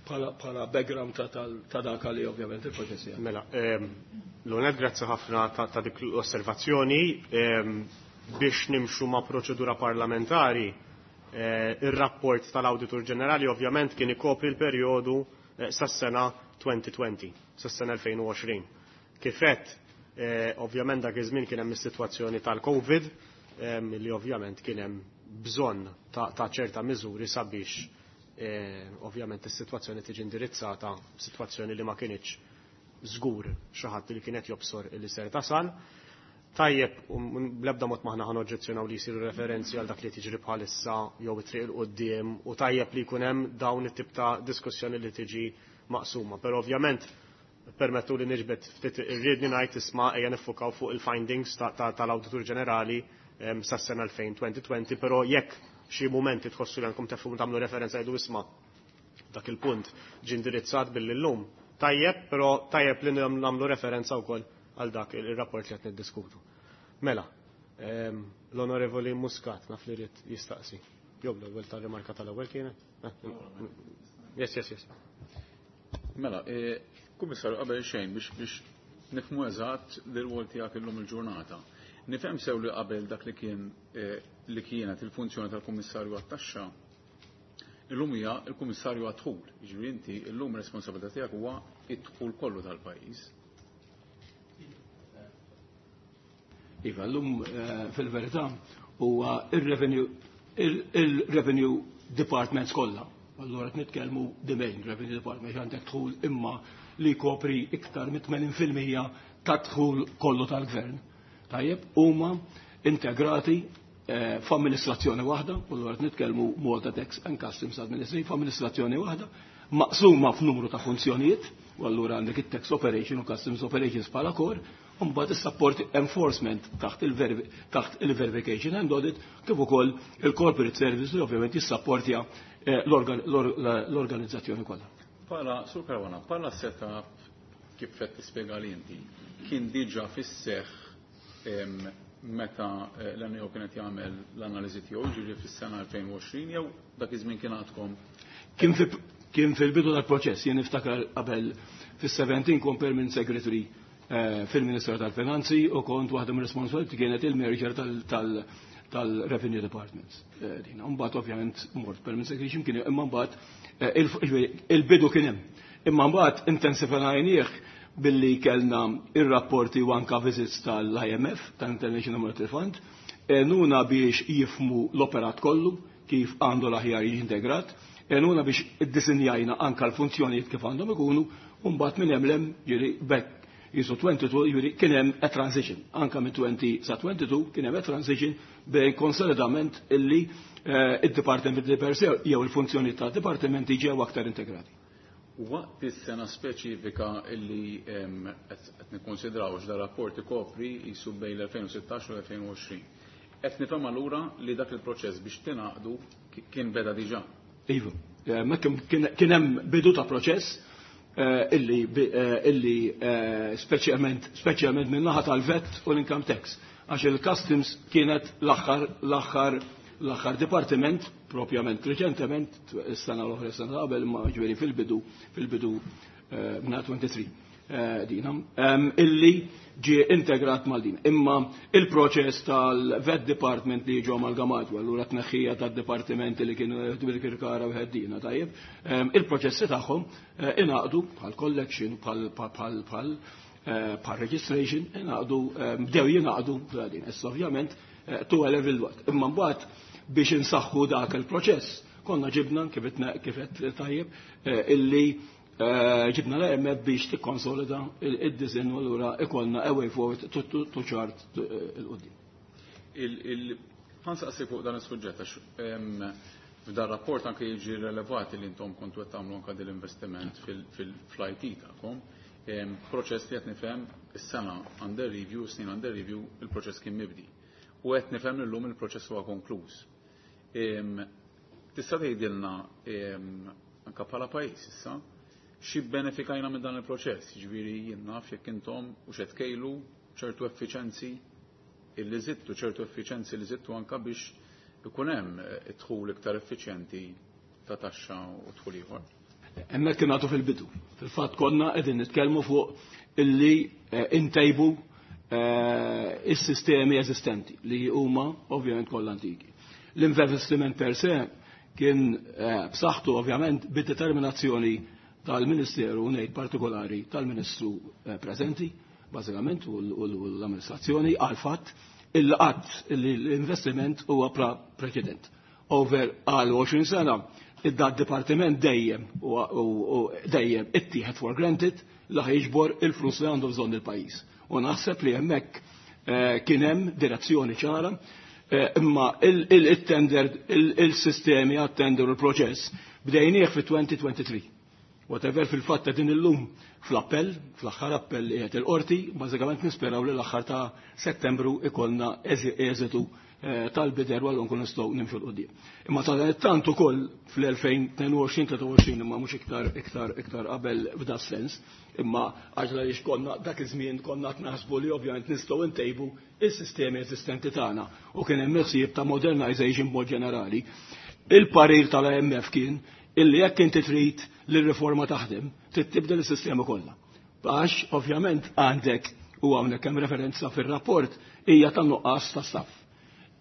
S5: bħala, bħala background ta', ta, ta' dak li ovvjament il-proċessi.
S2: Mela, ehm, l-onet grazzi ħafna ta', ta' dik l-osservazzjoni. Ehm, biex nimxu ma' proċedura parlamentari, eh, ir-rapport tal-Awditur Ġenerali ovvjament kien ikopri l-perjodu, eh, sas-sena twenty twenty, sas-sena elfejn u għoxrin. Kifet, eh, ovvjament dak iż-żmien kien hemm is-sitwazzjoni tal-Covid, ehm, li ovvjament kien hemm bżonn ta', ta' ċerta miżuri sabiex, eh, ovvjament is-sitwazzjoni tiġi indirizzata, sitwazzjoni li ma kinitx żgur xi ħadd li kienet jobsor li ser tasal. Tajjeb, u bl-ebda mod maħna ħan oġġezzjonaw li jsiru referenzi għal dak li tiġri bħalissa jew it-triq il-qudiem, u tajjeb li jkun hemm dawn it-tip ta' diskussjoni li tiġi maqsuma. Però ovvjament permettu li niġbed ftit irridni ngħid isma' ejja niffukaw fuq il-findings ta', ta', tal-Awditur Ġenerali, ehm, sas-sena elfejn twenty twenty, però jekk xi mumenti tħossu li għandkom tefhmu tagħmlu referenza jgħidu isma' dak il-punt ġie indirizzat billi llum. Tajjeb, però tajjeb li nagħmlu referenza wkoll għal dak il-rapport li qed niddiskutu. Mela, ehm, l-Onorevoli Muscat naf li rrid jistaqsi. Jew l-ewwel tar-rimarka tal-ewwel kienet? Eh, yes, yes, yes.
S3: Mela, eh, Kummissarju, qabel xejn biex, biex nifhmu eżatt l-rwol tiegħek illum il-ġurnata. Nifhem sew li qabel dak li kien, eh, li kienet il-funzjoni tal-Kummissarju għat-taxxa, illum hija l-Kummissarju għad-dħul. Jiġifieri inti illum responsabilità tiegħek huwa d-dħul kollu tal-pajjiż.
S5: Iva, llum fil-verità huwa il-revenue il-revenue departments kollha. Allura qed nitkellmu the main revenue department għandek dħul imma li jkopri iktar mit tmenin fil-mija ta' dħul kollu tal-gvern. Tajjeb, huma integrati f'amministrazzjoni waħda, u allura qed nitkellmu Malta Tax and Customs Administration, f'amministrazzjoni waħda, maqsuma f'numru ta' funzjonijiet, u allura għandek it-tax operation u customs operations bħala core, u mbagħad is-support enforcement taħt il-verification and audit, kif ukoll il-corporate service li ovvjament jissapportja l-organizzazzjoni kollha.
S3: Pala, Sur Caruana, pala setup kif qed tispjega li inti, kien diġà fis-seħħ meta l-N A O kienet jagħmel l-analiżi tiegħu, ġifieri fis-sena elfejn u għoxrin, jew dak iż-żmien kien għadkom?
S5: Kien fil-bidu tal-proċess, jien niftakar qabel fis-seventeen kont permanent secretary fil-Ministeru tal-Finanzi u kont waħda mir-responsabiliti kienet il-merger tal-Revenue Departments. Dina, mbagħad ovvjament mort permanent secretary x'imkien, imma mbagħad il-bidu kien hemm. Imma mbagħad intensifajnieh billi kellna ir-rapporti u anka visits tal-I M F, tal-International Monetary Fund, nuna biex jifmu l-operat kollu, kif għandu l-aħjar jiġi integrat, nuna biex iddisinjajna anka l-funzjonijiet kif għandhom ikunu, u mbagħad minn hemm lem ġiri bekk jisu twenty-two, ġiri kien hemm a transition, anka minn twenty sa twenty-two kien hemm a transition bejn konsolidament illi id-dipartimenti per se jew il-funzjoni tad-dipartimenti ġew aktar integrati.
S3: Waqt is-sena speċifika illi qed nikkonsidraw x'da rapport ikopri jisu bejn l-elfejn u sittax u l-elfejn u għoxrin. Qed nifhem allura li dak il-proċess biex tingħaqdu kien beda diġà.
S5: Iva, ma kien hemm bidu ta' proċess illi, illi speċjalment, speċjalment minn naħa tal-V A T u l-income tax. Għax il-customs kienet l-aħħar, l-aħħar, l-aħħar dipartiment, propjament reċentement, is-sena l-oħra, is-sena qabel, ma ġifieri fil-bidu, fil-bidu minn twenty-three dina, illi ġie integrat mal-din. Imma il-proċess tal-V A T department li ġew amalgamat, u allura tneħħija tad-dipartimenti li kienu jieħdu bil-Kirkara u ħeddina, tajjeb, il-proċessi tagħhom ingħaqdu bħal collection, bħal, bħal, bħal, bħal registration, ingħaqdu, bdew jingħaqdu din. Issa ovvjament to a level what. Imma mbagħad biex insaħħu dak il-proċess, konna ġibna kif qed tajjeb illi ġibna l-I M F biex tikkonsolida id-design u allura ikollna a way forward to chart il-qudiem.
S3: Ħansaqsi fuq dan is-suġġett għax f'dan rapport anke jiġi relevat li intom kontu qed tagħmlu anke dil-investiment fil-I T tagħkom. Proċess li qed nifhem is-sena under review, snin under review, il-proċess kien mibdi. U qed nifhem li llum il-proċess huwa konkluż. Tista' tgħidilna anke bħala pajjiż issa xi benefikajna minn dan il-proċess, jiġifieri jien naf jekk intom u x'qed tkejlu ċertu effiċenzi illi żidtu, ċertu effiċenzi li żidtu anke biex ikun hemm id-dħul iktar effiċjenti ta' taxxa u dħul ieħor.
S5: Hemmhekk kien għadu fil-bidu. Fil-fatt konna qegħdin nitkellmu fuq illi intejbu is-sistemi eżistenti li huma ovvjament kollha antiki. L-investiment per se kien b'saħħtu ovvjament bid-determinazzjoni tal-Ministeru, ngħid partikolari tal-Ministru preżenti, bażikament, u l-amministrazzjoni għal fatt il-qatt li l-investiment huwa preċedent. Over għal għoxrin sena, id-dat dipartiment dejjem u dejjem ittieħed for granted li ħajġbor il-flus li għandu bżonn il-pajjiż. U naħseb li hemmhekk kien hemm direzzjoni ċara, imma il-tender, il-sistemi għat-tender u l-proċess bdejnieh fi twenty twenty-three. Whatever fil-fatt din illum fl-appell, fl-aħħar appell li qed il-qorti, bażikament nisperaw li l-aħħar ta' Settembru ikollna eżitu tal-bider u allura nkunu nistgħu nimxu l quddiem. Imma tant ukoll fl-elfejn tnejn u għoxrin, tlieta u għoxrin, imma mhux iktar, iktar, iktar qabel f'da sens, imma għax għaliex konna dak iż-żmien konna qed naħsbu li ovvjament nistgħu ntejbu is-sistemi eżistenti tagħna u kien hemm ħsieb ta' modernization b'mod ġenerali. Il-parir tal-I M F kien illi jekk inti trid li r-riforma taħdem, trid tibdel is-sistema kollha. Għax ovvjament għandek u hawnhekk hemm referenza fir-rapport hija tan-nuqqas ta' staff.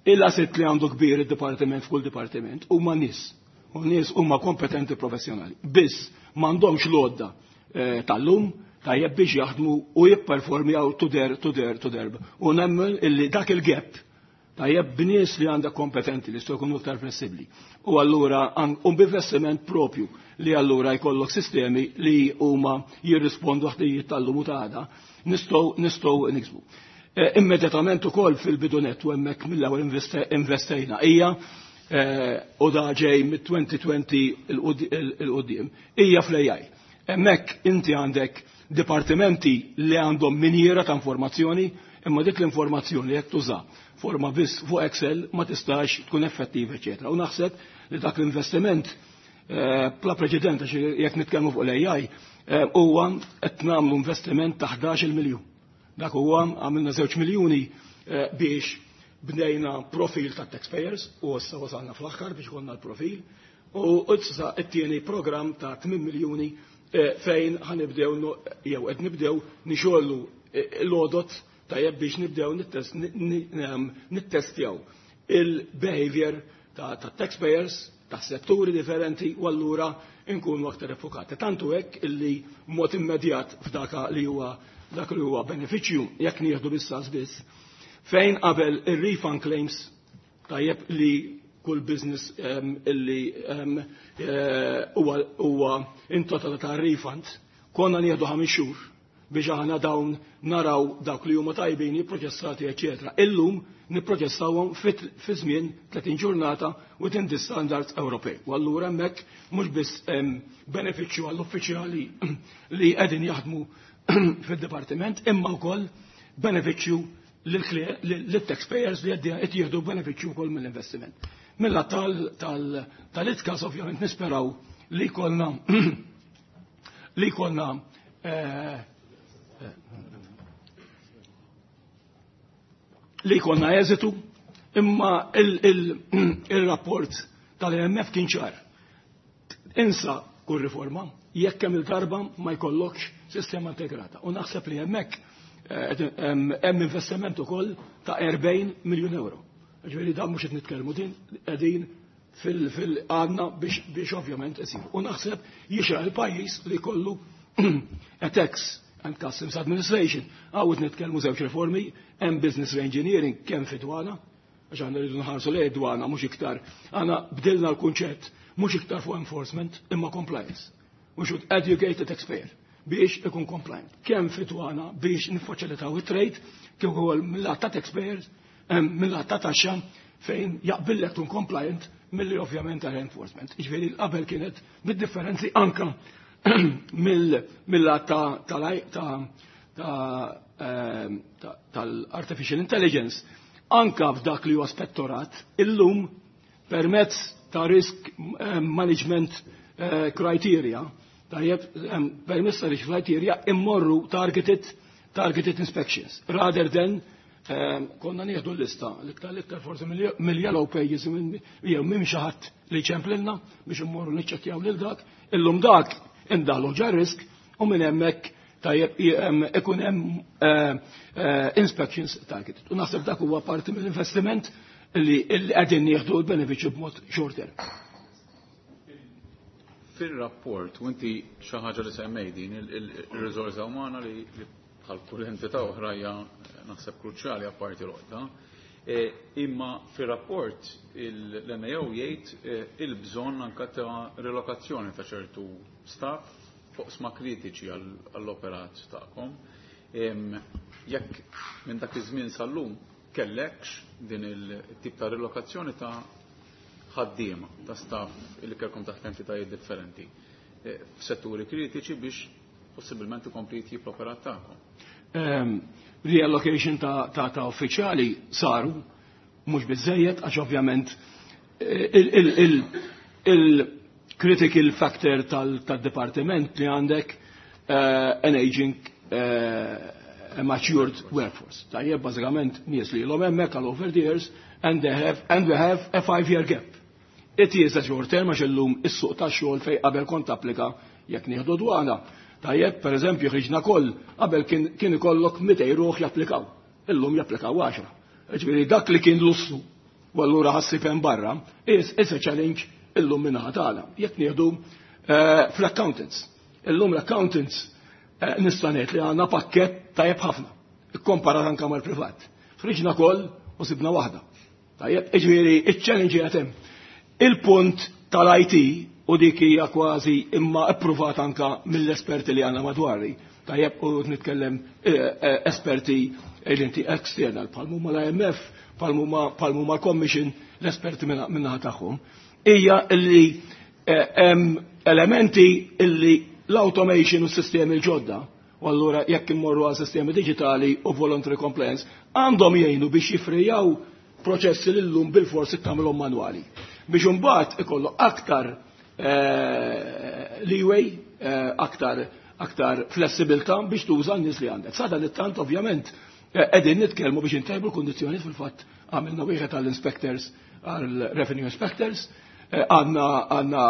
S5: Il-asset li għandu kbir id-dipartiment f'kull dipartiment huma nies. U nies huma kompetenti professjonali. Biss m'għandhomx l-għodda, eh, tal-lum, tajjeb biex jaħdmu u jipperformjaw to their, to their, to their. U nemmen illi dak il-gap tajjeb b'nies li għandha kompetenti li jistgħu jkunu iktar flessibbli. U allura u b'investiment propju li allura jkollok sistemi li huma jirrispondu ħtijiet tal-lum u ta' għada nistgħu nistgħu niksbu. Immedjatament ukoll fil-bidunet u hemmhekk mill-ewwel investejna hija u da ġej mit-elfejn u għoxrin il-qudiem hija fl-A I. Hemmhekk inti għandek dipartimenti li għandhom minjera ta' informazzjoni, imma dik l-informazzjoni jekk tuża forma biss fuq Excel ma tistax tkun effettiva, eċetera. U naħseb li dak l-investiment bla preċedent, għax jekk nitkellmu fuq l-A I, huwa qed nagħmlu investiment ta' ħdax-il miljun. Dak huwa għamilna żewġ miljuni biex bnejna profil ta' taxpayers u issa wasalna fl-aħħar biex konna l-profil u issa t-tieni program ta' tmien miljuni fejn ħanibdew jew qed nibdew nixollu l-għodot tajjeb biex nibdew nittestjaw il-behavior ta' taxpayers ta' setturi differenti u allura nkunu aktar effokati. Tantu hekk illi mod immedjat f'daka li huwa dak li huwa benefiċċju jekk nieħdu bis-sas biss, fejn qabel ir-refund claims tajjeb li kull business illi huwa intitolata ta' refund, konna nieħdu ħames xhur biex aħna dawn naraw dak li huma tajbin jipproċessati, eċetera. Illum nipproċessawhom fi żmien tletin ġurnata within the standards Ewropej. U allura hemmhekk mhux biss benefiċċju għall-uffiċjali li qegħdin jaħdmu fid-dipartiment, imma wkoll benefiċċju lill-taxpayers li qed jieħdu benefiċċju wkoll mill-investiment. Milla tal-I T C A S ovvjament nisperaw li jkollna li jkollna eh, li jkollna eżitu, imma il-rapport tal-I M F kien ċar. Insa kull riforma, jekk hemm il-darba ma jkollokx sistema integrata. U naħseb li hemmhekk eh, hemm investiment ukoll ta' erbgħin miljun euro. Ġifieri dan mhux qed nitkellmu din qegħdin fil-għadna biex ovvjament isir. U naħseb jixraq il-pajjiż li kollu a tax and Customs Administration. Għawet nitkellmu żewġ riformi, hemm business reengineering kemm fi dwana, għax għandna rridu nħarsu lejn dwana mhux iktar. Għandna bdilna l-kunċett mhux iktar fuq enforcement imma compliance. We should educate the taxpayer biex ikun compliant. Kemm fi dwana biex niffaċilitaw it-trade, kif ukoll mill-lat ta' taxpayers, mill-lat ta' taxxa fejn jaqbillek tkun compliant milli ovvjament għal enforcement. Ġifieri qabel kienet bid-differenzi anka mill-lat tal-artificial intelligence, anka f'dak li huwa spettorat, illum permezz ta' risk management criteria, tajjeb, permezz ta' risk criteria immorru targeted targeted inspections, rather than konna nieħdu l-lista, l-iktar l-iktar forsi mill-yellow pages jew minn xi ħadd li ċemplilna biex immorru niċċekkjaw lil dak, illum dak indalu ġa risk u minn hemmhekk tajjeb ikun hemm inspections targeted. U naħseb dak huwa parti mill-investiment li qegħdin nieħdu l-benefiċċju b'mod short term.
S3: Fil-rapport, u inti xi ħaġa li semmej din il-riżorsa umana li bħal kull entità oħra hija naħseb kruċjali apparti l-oqta. Imma fir-rapport l-N A O jgħid il-bżonn anka ta' relokazzjoni ta' ċertu staff fuq sma kritiċi għall-operat tagħkom. Jekk minn dak iż-żmien sal-lum kellekx din il-tip ta' relokazzjoni ta' ħaddiema ta' staff li kellkom taħt entitajiet differenti f'setturi kritiċi biex possibilment ikompli jitjib l-operat tagħkom.
S5: Reallocation ta', ta, ta' uffiċjali saru, mhux biżejjed, għax ovvjament il-critical factor tal-departiment li għandek an aging uh, matured workforce. Tajjeb, bażikament nies li l hemmhekk għal over the years and they have and we have a five year gap. It is a short term għax illum is-suq tax-xogħol fej qabel kont applika jekk nieħdu dwana. Tajjeb, per eżempju, ħriġna koll, qabel kien, kien ikollok mitejn ruħ japplikaw. Illum japplikaw għaxra. Ġifieri dak li kien lussu, u allura ħassib hemm barra, is, is a challenge illum minnaħa tagħna. Jekk nieħdu uh, fl-accountants. Illum l-accountants Nista' ngħid li għandna pakkett tajjeb ħafna, ikkomparat anke mal-privat. Ħriġna koll u sibna waħda. Tajjeb, jiġifieri iċ-challenge qiegħed hemm. Il-punt tal-I T, u dik hija kważi imma appruvat anka mill-esperti li għandna madwari. Tajjeb, u nitkellem eh, eh, esperti li inti external, bħal huma l-I M F, bħal huma l-Commission, l-esperti min-naħa tagħhom. Hija illi eh, hemm elementi illi l-automation u s-sistemi l-ġodda, u allura jekk immorru għal sistemi digitali u voluntary compliance, għandhom jgħinu biex jifrijaw proċessi li llum bil-forsi tagħmilhom manwali. Biex imbagħad ikollu aktar eh, leeway, eh, aktar aktar flessibilità biex tuża n-nies li għandek. Sada li tant ovvjament eh, qegħdin nitkellmu biex intejbu l-kundizzjonijiet. Fil-fatt għamilna wieħed għall-inspectors, għall-revenue inspectors, għandna għandna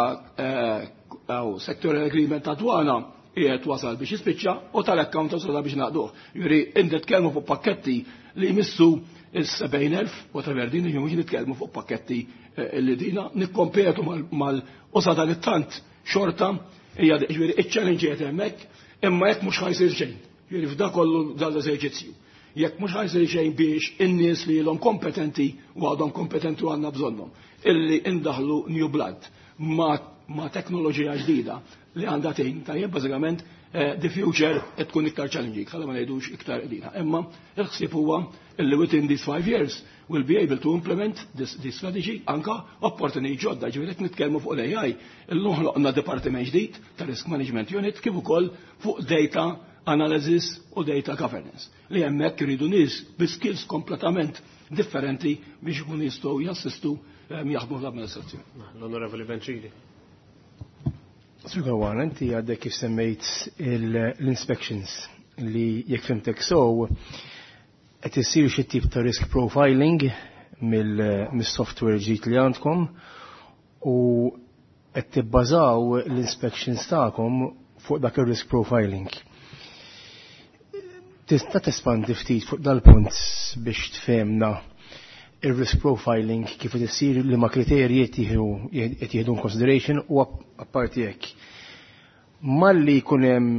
S5: sectoral agreement ta' dwana qiegħed wasal biex jispiċċa u tal-accountants wasal biex naqduh. Jiġifieri nitkellmu fuq pakketti li jmissu il-sebgħin elf, whatever din, mhux nitkellmu fuq pakketti eh, li dina nikkompetu mal u sa dan it-tant xorta hija, ġifieri iċ-challenge qed hemmhekk, imma jekk mhux ħa jsir xejn. Ġifieri f'da kollu dal-eżerċizzju. Jekk mhux ħa jsir xejn biex in-nies li ilhom kompetenti u għadhom kompetenti u għandna bżonnhom, illi indaħlu new blood ma, ma teknoloġija ġdida li għandha tgħin, tajjeb, bażikament eh, the future qed tkun iktar challenging, ħalla ma ngħidux iktar qdina. Imma il-ħsieb huwa illi within these five years we'll be able to implement this, this strategy, anka opportunity ġodda, ġifieri qed nitkellmu fuq l-A I, illum ħloqna dipartiment ġdid ta' Risk Management Unit kif ukoll fuq data analysis u data governance. Li hemmhekk iridu nies bi skills kompletament differenti biex ikun jistgħu jassistu eh, jaħdmu fl-amministrazzjoni.
S2: L-Onorevoli Bencini.
S9: Sur Caruana, inti għadek kif semmejt l-inspections li jekk fhimtek so qed isir xi tip ta' risk profiling mill-software ġdid li għandkom u qed tibbażaw l-inspections tagħkom fuq dak ir-risk profiling. Tista' tespandi ftit fuq dal-punt biex tfehmna il-risk profiling kif qed issir, li ma kriterji qed jieħdu consideration, u apparti hekk, malli jkun hemm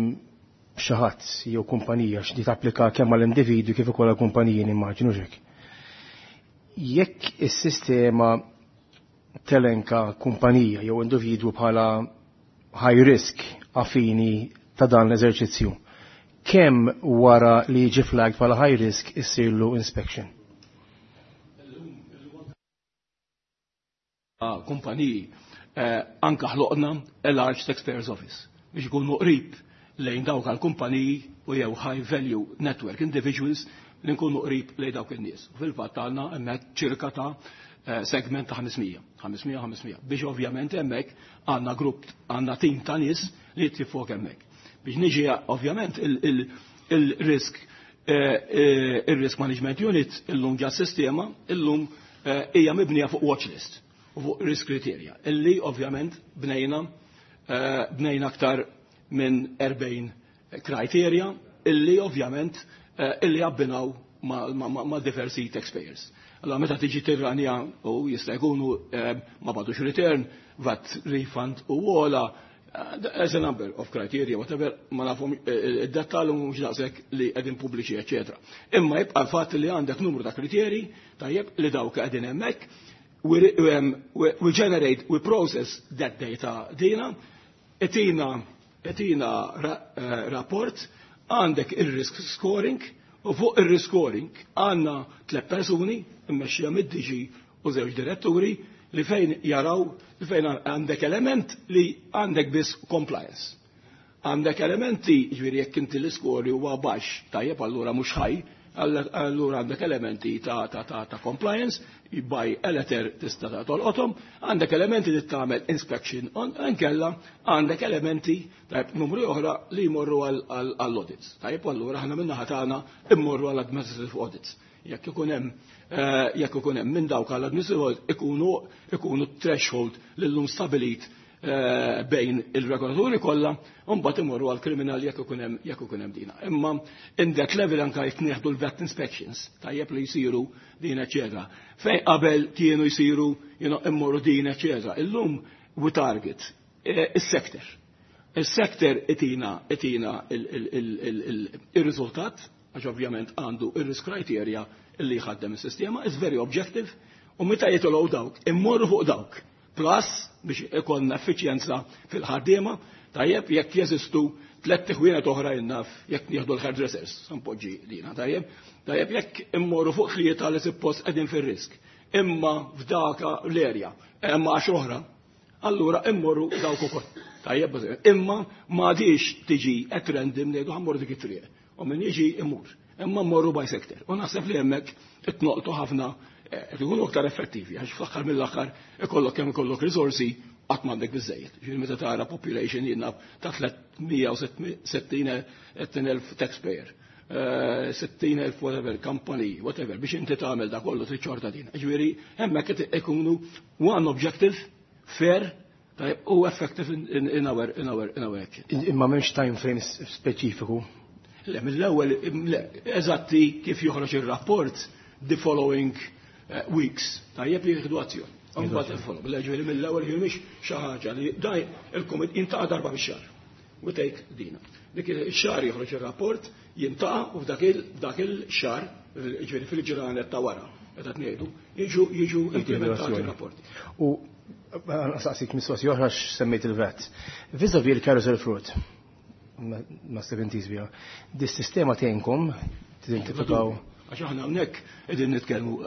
S9: xi ħadd jew kumpanija x'di tapplika kemm għall-individwi kif ukoll għall-kumpaniji, nimmaġinu hekk. Jekk is-sistema telenka kumpanija jew individwu bħala high risk għall-fini ta' dan l-eżerċizzju, kemm wara li jiġi flagged bħala high risk issirlu inspection?
S5: Kumpaniji eh, anka ħloqna a large taxpayers office biex ikunu qrib lejn dawk għal-kumpaniji u jew high value network individuals li nkunu qrib lejn dawk in-nies. U fil-fatt għandna hemmhekk ċirka ta' eh, segment ta' ħames mija, ħames mija, ħames mija, biex ovvjament hemmhekk għandna grupp, għandna tim ta' nies li jittifok hemmhekk. Biex niġi ovvjament il-risk eh, il-risk management unit illum ġa sistema illum hija mibnija fuq watchlist u fuq risk criteria, illi ovvjament bnejna eh, bnejna aktar minn erbgħin criteria illi ovvjament eh, illi abbinaw ma, ma, ma, ma diversi taxpayers. Allora meta tiġi tirranja u jista' jkunu eh, ma bagħtux return, VAT refund u għola, as a number of criteria, whatever, ma nafhom id-dettal mhux daqshekk li qegħdin pubbliċi, eċetera. Imma jibqa' l-fatt li għandek numru ta' kriterji, tajjeb, li dawk qegħdin hemmhekk, we, um, we, we generate, we process that data dina, itina, itina ra, uh, rapport, għandek il-risk scoring, u fuq il-risk scoring għandna tliet persuni, immexxija mid-D G u żewġ diretturi, li fejn jaraw, li fejn għandek element li għandek biss compliance. Għandek elementi, ġifieri jekk inti l-iskori huwa baxx, tajjeb, allura mhux ħaj, allura għandek elementi ta', ta, ta, ta compliance, by a letter tista' ta' tolqothom, għandek elementi li tagħmel inspection on, nkella għandek elementi, tajjeb, numru oħra li jmorru għall-audits. Tajjeb, allura aħna min-naħa tagħna immorru għall-administrative audits. Jekk ikun hemm eh, jekk ikun hemm minn dawk għall-administrative audits ikunu ikunu threshold li llum stabilit Eh, bejn il-regolaturi kollha, u mbagħad imorru għal kriminal jekk ikun hemm jekk ikun hemm dina. Imma in that level anka jekk nieħdu l-VAT inspections, tajjeb, li jsiru din eċetera. Fejn qabel kienu jsiru you know, immorru din eċetera. Illum we target eh, is-sector. Il-sector itina itina il-riżultat, għax ovvjament għandu il-risk criteria illi jħaddem is-sistema, is very objective, u meta jitolgħu dawk, immorru fuq dawk. Plus, biex ikollna effiċjenza fil-ħaddiema, tajjeb jekk jeżistu tliet ħwienet oħra jinnaf jekk nieħdu l-hairdressers, sampoġġi lina, tajjeb, tajjeb jekk immorru fuq tlieta li suppost qegħdin fir-risk. Imma f'daka l-erja, imma għax oħra, allura immorru dawk ukoll. Tajjeb, imma m'għadix tiġi at random ngħidu ħammorru dik it-triq. U min jiġi imur. Imma mmorru by sector. U naħseb li hemmhekk itnoqtu ħafna qed ikunu aktar effettivi għax fl-aħħar mill-aħħar ikollok kemm ikollok risorsi qatt m'għandek biżejjed. Ġifieri meta tara population jiena ta' tliet mija u sittin elf taxpayer, sittin elf whatever company, whatever, biex inti tagħmel da kollu trid xorta din. Ġifieri hemmhekk qed ikunu one objective, fair, tajjeb, u effective in, in, in our, in our, in our action.
S9: Imma m'hemmx time frame speċifiku.
S5: Le, mill-ewwel, le, eżatti kif joħroġ ir-rapport the following weeks, tajjeb jieħdu azzjoni. Mbagħad il-follow. Le, ġifieri mill-ewwel ġifieri mhix xi ħaġa li daj il-kumit jintaqa' darba fix-xahar. We take dina. Dik ix-xahar joħroġ ir-rapport, jintaqa' u f'dak il-dak il-xahar, ġifieri fil-ġranet ta' wara, qed ngħidu, jiġu jiġu implementati r-rapporti.
S9: U saqsik mistoqsija oħra x'semmejt il-V A T. Vis-a-vis il-carousel fraud, ma seventies bija, dis-sistema tgħinkom tidentifikaw.
S5: Għax aħna hawnhekk qegħdin nitkellmu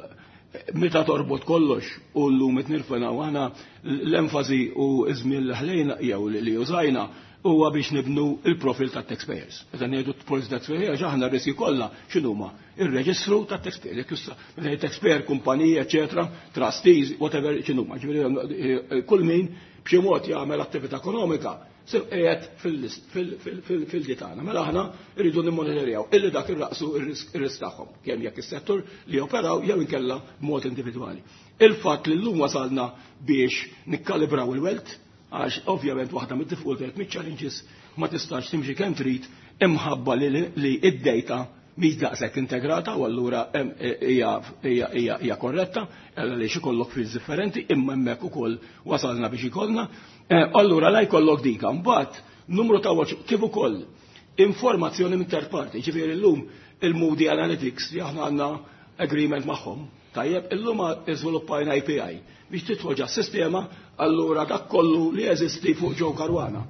S5: meta torbot kollox u llum qed nirfenaw aħna l-enfasi u iż-żmien li ħlejna jew li użajna huwa biex nibnu il-profil tat-taxpayers. Meta ngħidu profil taxpayers għax aħna r-riski kollha x'inhuma? Ir-reġistru tat-taxpayer. Jekk issa meta ngħid taxpayer, kumpanija, eċetera, trustees, whatever x'inhuma. Ġifieri kull min b'xi mod jagħmel attività ekonomika se qiegħed fil-ditana. Mela aħna rridu nimmonitorjaw illi dak irraqsu ir-risk tagħhom, kemm jekk is-settur li operaw jew inkella b'mod individwali. Il-fatt li llum wasalna biex nikkalibraw il-wealth, għax ovvjament waħda mid-diffikultajiet, mid-challenges, ma tistax timxi kemm trid imħabba li id-data mhix daqshekk integrata u allura hija hija hija korretta, għaliex ikollok fields differenti, imma hemmhekk ukoll wasalna biex ikollna. Allura la jkollok dika, mbagħad numru ta' watch kif ukoll informazzjoni minn third party, ġifieri llum il-Moody Analytics li aħna għandna agreement magħhom. Tajjeb, illum iżviluppajna A P I biex tidħol ġa sistema, allura dak kollu li jeżisti fuq Joe Caruana.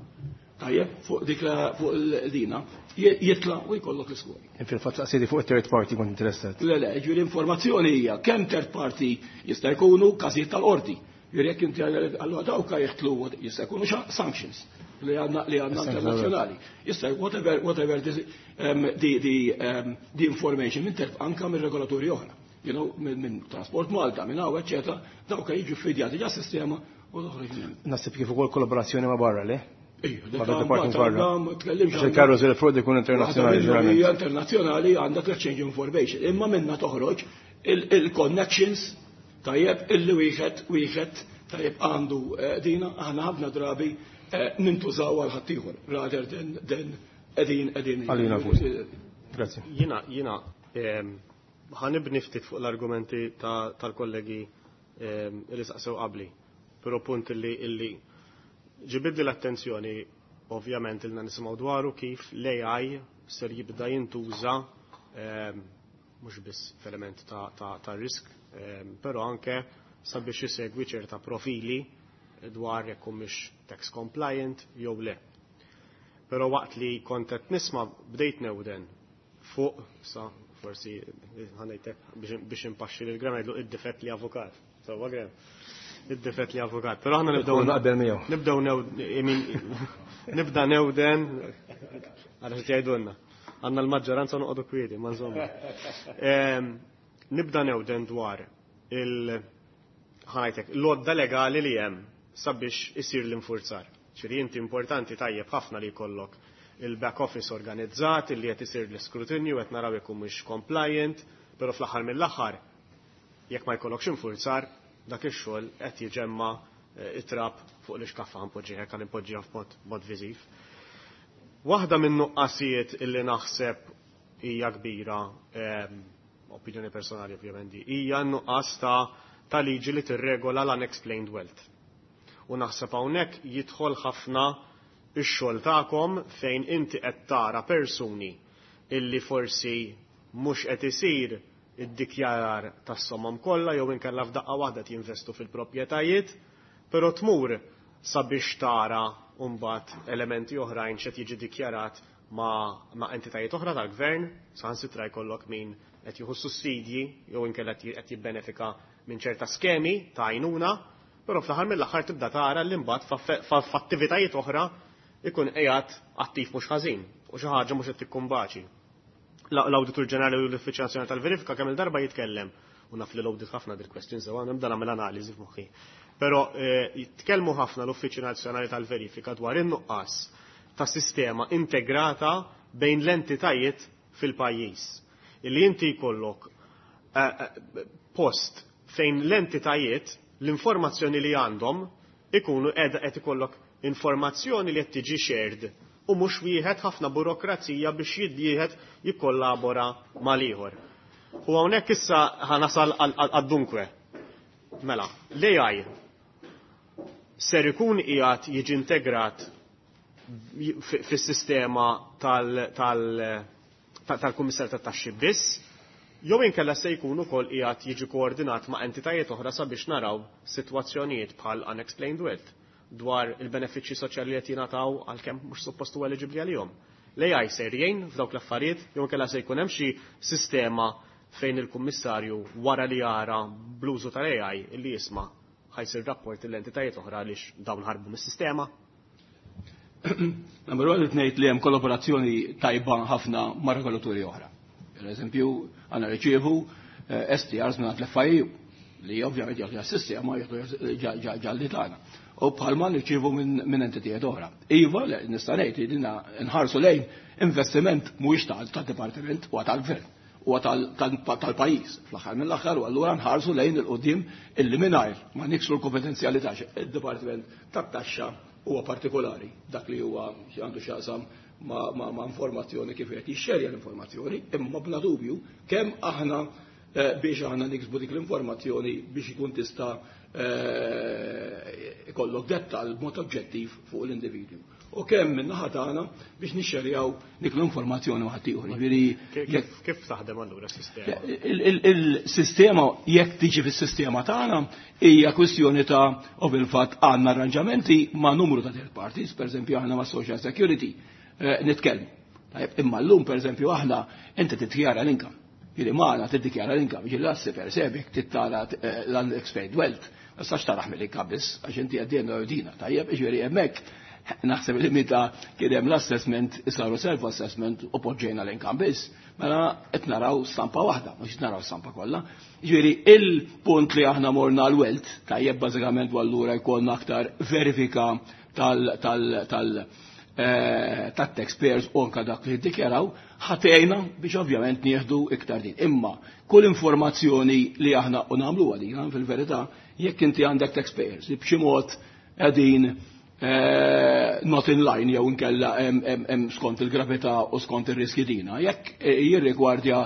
S5: Tajjeb, fuq dik la, fuq il-dina, jitla u jkollok l-iskori.
S9: Fil-fatt saqsidi fuq third party kont interessat.
S5: Le, le, ġifieri informazzjoni hija kemm third party jista' jkunu każijiet tal-qorti. Ġifieri jekk inti allura dawk jeħtlu jista' jkunu sanctions li għandna, li għandna
S9: Sanctions,
S5: internazzjonali. Jista' whatever, whatever this, um, the, the, um, the information minn terf anka minn regolatori oħra. You know, minn, minn Transport Malta, minn hawn, eċetera, dawk jiġu ffidjati ġa sistema u toħroġ minn hemm.
S9: Naħseb kif ukoll kollaborazzjoni ma' barra, le?
S5: Ejja,
S9: Ma'
S5: dak
S9: department
S5: għandha
S9: barra.
S5: għandha ma tkellimx
S9: Għax
S5: għandha
S9: il-carousel fraud ikun internazzjonali
S5: Waħda minnhom
S9: ġeneralment.
S5: hija internazzjonali għandek l-exchange information, imma minna toħroġ il-connections tajjeb illi wieħed wieħed tajjeb għandu, eh, dina aħna ħafna drabi, eh, nintużaw għal ħaddieħor rather than, than qegħdin, qegħdin
S9: Għalina fuq. Grazie.
S2: Jiena, jiena, ehm, ħanibni ftit fuq l-argumenti ta-, tal-kollegi, ehm, li saqsew qabli, però punt illi, illi ġibidli l-attenzjoni ovvjament ilna nisimgħu dwaru kif l-A I ser jibda jintuża, ehm, mhux biss f'element ta', ta', ta' risk, ehm, però anke sabiex isegwi ċerta profili dwar jekk humiex tax compliant jew le. Però waqt li kont qed nisma' bdejt newden fuq, sa forsi ħanejtek biex, biex impaxxi lil Graham ngħidlu id-difett li avukat. Sewwa Graham? Id-difett li avukat. Però aħna nibdew
S9: Ikun naqbel miegħu.
S2: Nibdew new-, I mean, nibda newden għal xi jgħidulna. Għandna l-maġġoranza noqogħdu kwieti, ma nżommu. Ehm, nibda newden dwar il ħanajtek l-għodda legali li hemm sabiex isir l-infurzar. Ċiri inti importanti tajjeb ħafna li jkollok il-back office organizzat, li qed isir l-iskrutinju, qed naraw jekk mhux compliant, però fl-aħħar mill-aħħar jekk ma jkollokx infurzar, dak ix-xogħol qed jiġemma, eh, it-trab fuq l-ixkaffa ħanpoġġiha, hekk ħanpoġġiha f'mod mod viżiv. Waħda minn nuqqasijiet illi naħseb hija kbira, ehm, opinjoni personali ovvjament, hija n-nuqqas ta', ta' liġi li tirregola l-unexplained wealth. U naħseb hawnhekk jidħol ħafna ix-xogħol tagħkom fejn inti qed tara persuni illi forsi mhux qed isir id-dikjarar tas-somom kollha jew inkella f'daqqa waħda jinvestu fil-proprjetajiet, però tmur sabiex tara mbagħad elementi oħrajn x'qed jiġi dikjarat ma', ma entitajiet oħra tal-gvern, saħansitra jkollok min qed jieħu sussidji jew inkella qed jibbenefika minn ċerta skemi ta' għajnuna, però fl-aħħar mill-aħħar tibda tara li mbagħad f'attivitajiet oħra ikun qiegħed attiv mhux ħażin u xi ħaġa mhux qed tikkumbaċi. L-Awditur Ġenerali u l-Uffiċċju Nazzjonali tal-Verifika kemm il-darba jitkellem u naf li l-audit ħafna dil question sewa nibda nagħmel analiżi f'moħħi. Però jitkellmu ħafna l-Uffiċċju Nazzjonali tal-Verifika dwar in-nuqqas ta' sistema integrata bejn l-entitajiet fil-pajjiż. Illi inti jkollok post fejn l-entitajiet l-informazzjoni li għandhom ikunu qiegħda qed ikollok informazzjoni li qed tiġi shared u mhux wieħed ħafna burokrazija biex jiddieħed jikkollabora mal-ieħor. U hawnhekk issa ħanasal għad-dunkwe. Mela, l-A I ser ikun qiegħed jiġi integrat fis-sistema tal-Kummissar tat-Taxxi biss, jew inkella se jkun ukoll qiegħed jiġi koordinat ma' entitajiet oħra sabiex naraw sitwazzjonijiet bħal unexplained wealth dwar il-benefiċċji soċjali li qed jingħataw għalkemm mhux suppost huwa eliġibbli għalihom. L-A I ser jgħin f'dawk l-affarijiet jew inkella se jkun hemm xi sistema fejn il-kummissarju wara li jara bl-użu tal-A I illi jisma' ħa jsir rapport l-entitajiet oħra għaliex dawn ħarbu mis-sistema?
S5: Number one, ngħid li hemm kollaborazzjoni tajba ħafna ma' regolaturi oħra. Per eżempju, għandna riċievu S T Rs minn l-F I U li ovvjament jagħtu s-sistema jagħtu ġalli tagħna. U bħalma nirċievu minn entitijiet oħra. Iva, nista' ngħid li dinna nħarsu lejn investiment mhuwiex tad-dipartiment, huwa tal-gvern, huwa tal-pajjiż. Fl-aħħar mill-aħħar u allura nħarsu lejn il-qudiem illi mingħajr ma niksru l-konfidenzjalità, id-dipartiment tat-taxxa huwa partikolari dak li huwa għandu x'jaqsam ma, ma, ma informazzjoni kif qed jixxerja l-informazzjoni, imma bla dubju kemm aħna eh, biex aħna niksbu dik l-informazzjoni biex ikun tista' eh, ikollok dettal b'mod oġġettiv fuq l-individwu. U kemm minn naħa tagħna biex nixxerjaw dik l-informazzjoni ma' ħaddieħor. Jiġifieri
S2: Kif kif taħdem allura s-sistema?
S5: Il-sistema, jekk tiġi fis-sistema tagħna, hija kwistjoni ta' u fil-fatt għandna arranġamenti ma' numru ta' third parties, per eżempju aħna ma' Social Security eh, nitkellmu. Tajjeb, imma llum per eżempju aħna inti tiddikjara l-income. Jiġifieri magħna tiddikjara l-income, jiġifieri l-assi per se jekk tittara eh, l-unexplained wealth, ma tistax taraħ mill-income biss, għax inti għaddejna dina, tajjeb, jiġifieri hemmhekk naħseb li meta kien hemm l-assessment saru self-assessment u poġġejna l-income biss, mela qed naraw stampa waħda, mhux qed naraw stampa kollha. Jiġifieri il-punt li aħna morna l-wealth, tajjeb, bażikament u allura jkollna aktar verifika tal tal tal eh, tat-taxpayers u anka dak li ddikjaraw ħatejna biex ovvjament nieħdu iktar din. Imma kull informazzjoni li aħna u nagħmlu għalina fil-verità, jekk inti għandek taxpayers li b'xi mod qegħdin eh, not in line jew inkella hemm skont il-gravità u skont ir-riski dina. Jekk eh, jirrigwardja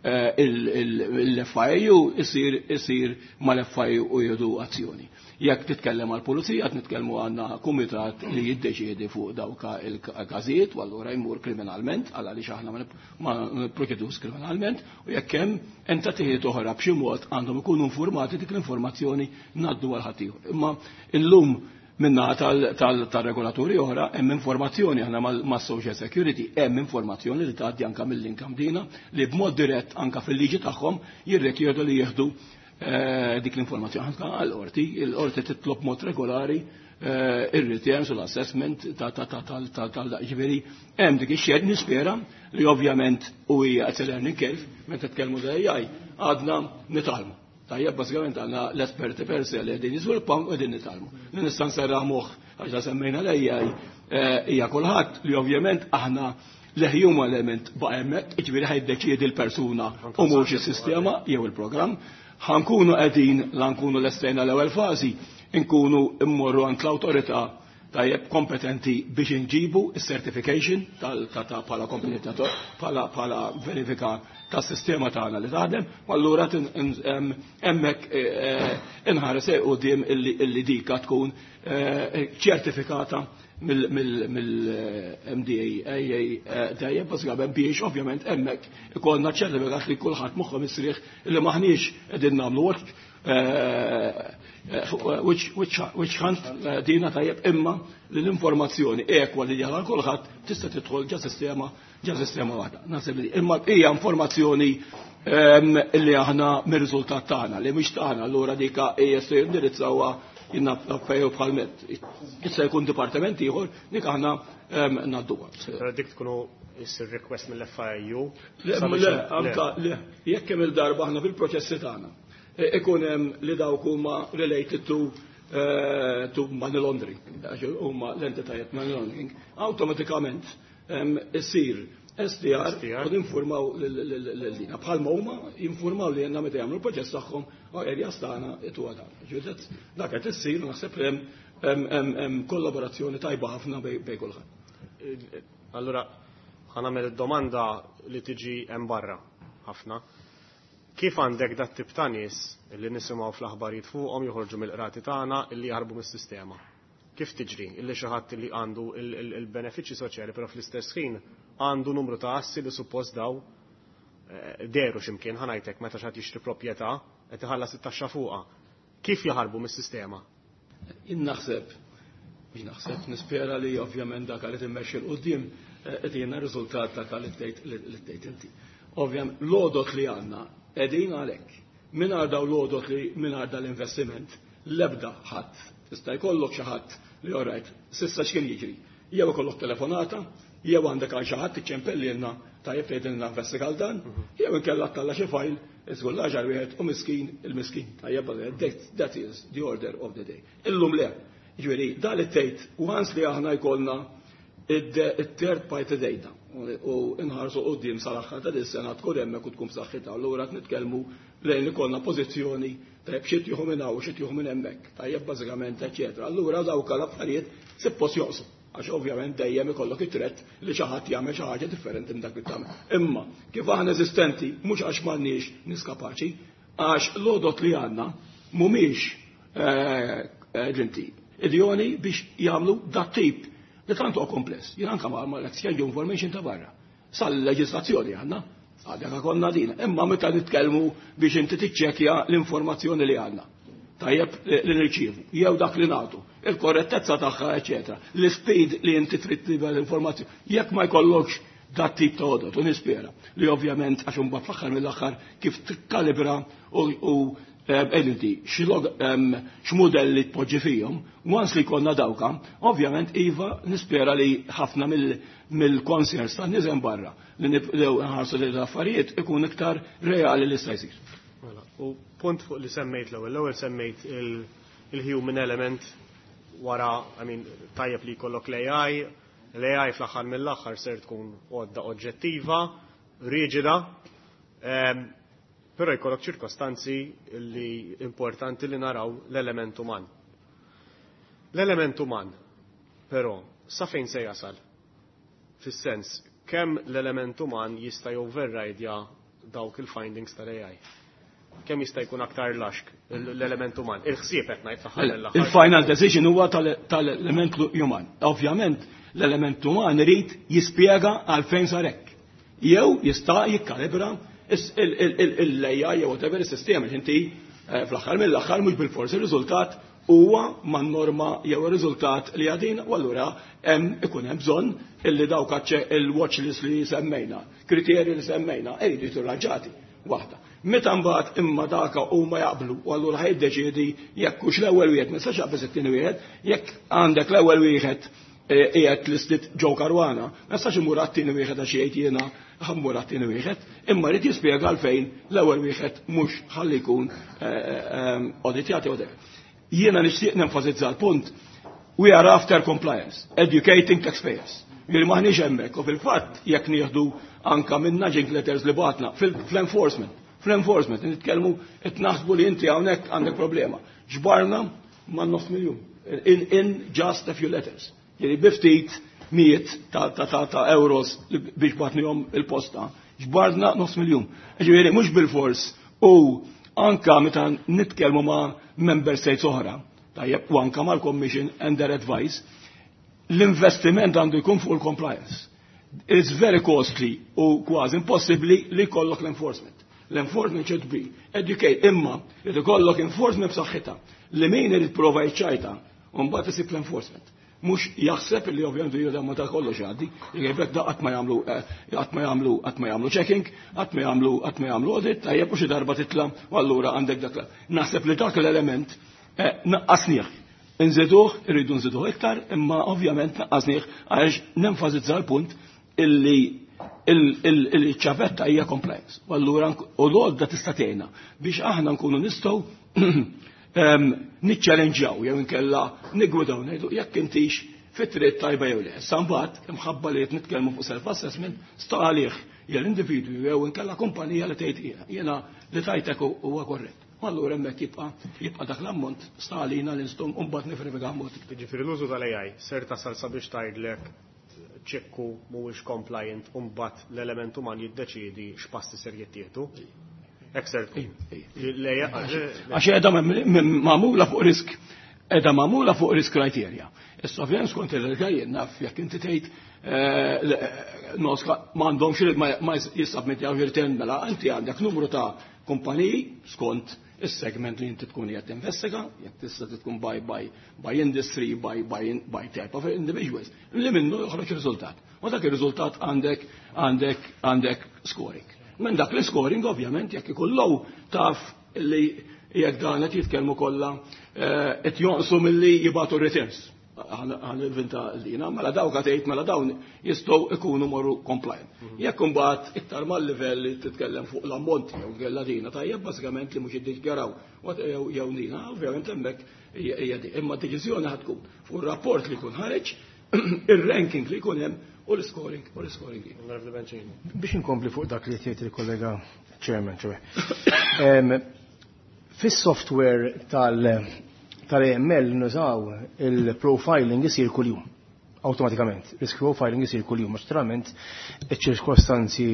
S5: eh, l-F I U isir isir mal-F I U u jieħdu azzjoni. Jekk titkellem għal pulizija, qed nitkellmu għandna kumitat li jiddeċiedi fuq dawka il-każijiet u allura jmur kriminalment, għal għaliex aħna ma nipproċedux kriminalment, u jekk hemm entitajiet oħra b'xi mod għandhom ikunu informati, dik l-informazzjoni ngħaddu għal ħaddieħor. Imma illum minna tal-regolaturi oħra hemm informazzjoni, aħna mas-Social Security hemm informazzjoni li tgħaddi anka mill-income dina li b'mod dirett anka fil-liġi tagħhom jirrikjedu li jieħdu eh, dik l-informazzjoni. Anka għall-qorti, il-qorti titlob mod regolari eh, ir-returns u l-assessment ta' ta' ta' tal tal tal ġifieri hemm dik ix-xed nispera li ovvjament u hija it's a learning curve meta tkellmu da A I, għadna nitgħallmu. Tajjeb, bażikament għandna l-esperti per se li qegħdin jiżviluppaw u qegħdin nitgħallmu. Li nista' nserraħ moħħ għax semmejna l-A I hija kulħadd li ovvjament aħna l-human element baqa' hemmhekk, jiġifieri ħa jiddeċiedi l-persuna u mhux is-sistema jew il-programm. Ħa nkunu qegħdin la nkunu lestejna l-ewwel fażi, nkunu immorru għand l-awtorità tajjeb kompetenti biex inġibu il-certification tal bħala kompetenti bħala bħala verifika tas-sistema tagħna li taħdem, u allura hemmhekk inħares quddiem illi dika tkun ċertifikata mill-M D A tajjeb, bażikament biex ovvjament hemmhekk ikollna ċertifikat li kulħadd moħħu mistrieħ illi maħniex qegħdin nagħmlu witch hunt dina, tajjeb, imma li l-informazzjoni ekwa li għal kulħadd tista' tidħol ġa sistema ġa sistema waħda. Naħseb li imma hija informazzjoni illi aħna mir-riżultat tagħna li mhix tagħna, allura dika hija se jindirizzawha jinna fejju bħal met. Issa jkun dipartiment ieħor dik aħna ngħadduha.
S2: Dik tkunu issir request mill-F I U?
S5: Le, anka le, jekk hemm il-darba aħna fil-proċessi tagħna ikun hemm li dawk huma related to to money laundering, huma l-entitajiet money laundering, awtomatikament issir S T R u ninformaw l-dina. Bħalma huma jinformaw li jenna meta jagħmlu l-proċess tagħhom u areas tagħna itu dan. Dak qed issir, naħseb hemm kollaborazzjoni tajba ħafna bej kulħadd.
S2: Allura ħa nagħmel domanda li tiġi hemm barra ħafna. Kif għandek dat tip ta' nies li nisimgħu fl-aħbarijiet fuqhom joħorġu mill-qrati tagħna illi jaħarbu mis-sistema? Kif tiġri illi xi ħadd li għandu il-benefiċċji soċjali, però fl-istess ħin għandu numru ta' assi li suppost daw eh, deru x'imkien, ħa ngħidlek, meta xi ħadd jixtri proprjetà qed iħallas it-taxxa fuqha? Kif jaħarbu mis-sistema?
S5: Naħseb, mhux naħseb, nispera li ovvjament dak li timmexxi 'l quddiem eh, qed jiena riżultat dak li tgħid inti. Ovvjament l-għodot li għandna qegħdin għalhekk. Mingħajr daw l-għodot li mingħajr dal-investiment l-ebda ħadd. Tista' jkollok xi ħadd li, alright, s'issa x'kien jiġri? Jew ikollok telefonata, jew għandek għal xi ħadd iċċempellilna, tajjeb, tgħidilna investiga dan, jew inkella talla xi file, iżgur l-aħħar wieħed u miskin il-miskin. Tajjeb, that is the order of the day. Illum le. Ġifieri, dal tgħid once li aħna jkollna it-third party data u nħarsu quddiem sal-aħħar ta' dis-sena tkun hemmhekk u tkun b'saħħitha, allura qed nitkellmu lejn ikollna pożizzjoni, tajjeb, xi tieħu minn hawn, xi tieħu minn hemmhekk, tajjeb, bażikament, eċetera. Allura dawk l-affarijiet suppost joqsu għax ovvjament dejjem ikollok it-threat li xi ħadd jagħmel xi ħaġa differenti minn dak li tagħmel. Imma kif aħna eżistenti mhux għax m'għandniex nies kapaċi, għax l-għodot li għandna mhumiex ġinti idjoni biex jagħmlu dat tip li tant huwa kompless. Jien anke ma l-exchange information ta' barra. Sal-leġislazzjoni għandna, għadek konna dina. Imma meta nitkellmu biex inti tiċċekkja l-informazzjoni li għandna, tajjeb, li nirċievu, jew dak li nagħtu, il-korrettezza tagħha, eċetera, l-speed li inti trid tibgħat l-informazzjoni. Jekk ma jkollokx dat tip ta' għodot, u nispera li ovvjament għax imbagħad fl-aħħar mill-aħħar kif tikkalibra u inti x'modelli tpoġġi fihom, once li konna dawka, ovvjament iva, nispera li ħafna mill-concerns ta' nies barra li nibdew nħarsu li l-affarijiet ikun iktar reali li sta jsir.
S2: Mela, u punt fuq li semmejt l-ewwel, l-ewwel semmejt il-human element wara, I mean, tajjeb li jkollok l-A I, l-A I fl-aħħar mill-aħħar ser tkun għodda oġġettiva, riġida, però jkollok ċirkostanzi li importanti li naraw l-element uman. L-element uman, però, sa fejn se jasal? Fis-sens, kemm l-element uman jista' override dawk il-findings tal-A I? Kemm jista' jkun aktar laxk l-element uman? Il-ħsieb qed ngħid fl-aħħar mill-aħħar.
S5: Il-final decision huwa tal-element uman. Ovvjament, l-element uman irid jispjega għalfejn sar hekk. Jew jista' jikkalibra l-A I jew whatever is-sistema inti eh, fl-aħħar mill-aħħar mhux bil-forsi ir-riżultat huwa man norma jew ir-riżultat li għadin, u allura hemm ikun hemm bżonn illi dawk il-watch list li semmejna, kriterji li semmejna, iridu jiġu waħda. Meta mbagħad imma daka huma jaqblu u allura ħa jiddeċiedi jekk hux l-ewwel wieħed, ma nistax jaqbeż it-tieni wieħed, jekk għandek l-ewwel wieħed eh, qiegħed listed Joe Caruana, ma nistax imur għat-tieni wieħed għax jgħid jiena ħa mmur għat-tieni wieħed, imma rrid jispjega għalfejn l-ewwel wieħed mhux ħalli jkun eh, eh, auditjati u Jiena nixtieq nenfasizza l-punt, we are after compliance, educating taxpayers. Jiri maħniex hemmhekk u fil-fatt jekk nieħdu anka minn nudging letters li bagħtna fl-enforcement, fl-enforcement nitkellmu qed naħsbu li inti hawnhekk għandek problema. Ġbarna ma' nofs miljun. In, in just a few letters. Jiġifieri bi ftit mijiet ta', ta, ta, ta' euros biex bgħatnihom il-posta. Ġbarna nofs miljun. Ġifieri mhux bil-fors u anka meta nitkellmu ma' member states oħra, tajjeb, u anka mal-Commission and their advice, l-investiment għandu jkun fuq il-compliance. It's very costly u kważi impossibbli li jkollok l-enforcement. L-enforcement should be educate, imma li jkollok enforcement b'saħħitha li min irid prova jċajta u mbagħad isib l-enforcement. Mhux jaħseb li ovvjament jgħidu ma ta' kollox għaddi, jgħidlek da qatt ma jagħmlu qatt ma jagħmlu qatt ma jagħmlu checking, qatt ma jagħmlu qatt ma jagħmlu audit, tajjeb u xi darba titla' u allura għandek dak. Naħseb li dak l-element naqqasnieh. Nżiduh, irridu nżiduh iktar, imma ovvjament naqqasnieh għax nenfasizza l-punt illi il-ċavetta hija compliance. U allura u l-għodda tista' tgħinna biex aħna nkunu nistgħu niċċalenġjaw jew inkella niggwidaw ngħidu jekk intix fit-triq tajba jew le. Issa mbagħad imħabba li qed nitkellmu fuq self-assessment sta għalih jew l-individwu jew inkella kumpanija li tgħid jiena li tajtek huwa korrett. U allura hemmhekk jibqa' jibqa' dak l-ammont sta għalina li nistgħu mbagħad nifrifika mod.
S2: Jiġifieri l-użu tal-A I ser tasal sabiex tgħidlek ċekku mhuwiex compliant u mbagħad l-element uman jiddeċiedi x'passi ser jittieħdu. Hekk ser tkun.
S5: Għax qiegħda magħmula fuq risk, qiegħda magħmula fuq risk criteria. Issa ovvjament skont il-għajjen naf jekk inti tgħid noska m'għandhomx ma jissubmittjaw return, mela inti għandek numru ta' kumpaniji skont is-segment li inti tkun qed tinvestiga, jekk tista' tkun by by by industry, by by by type of individuals, li minnu joħroġ riżultat. U dak ir-riżultat għandek għandek għandek scoring. Minn dak l-scoring ovvjament jekk ikun low taf li jekk dan qed jitkellmu kollha qed jonqsu milli jibgħatu returns. Ħa ninvinta lina, mela dawk tgħid mela dawn jistgħu ikunu morru compliant. Jekk imbagħad iktar mal-livell li titkellem fuq l-ammonti jew kellha dina tajjeb bażikament li mhux jiddikjaraw jew dina, ovvjament hemmhekk hija di. Imma deċiżjoni ħad tkun fuq ir-rapport li jkun ħareġ, ir-ranking li jkun hemm u l-scoring u l-scoring.
S9: Biex inkompli fuq dak li tgħid il-kollega chairman, ċoè. Fis-software tal- tal-A M L nużaw il-profiling isir kuljum automatikament. Risk profiling isir kuljum, għax naturalment iċ-ċirkostanzi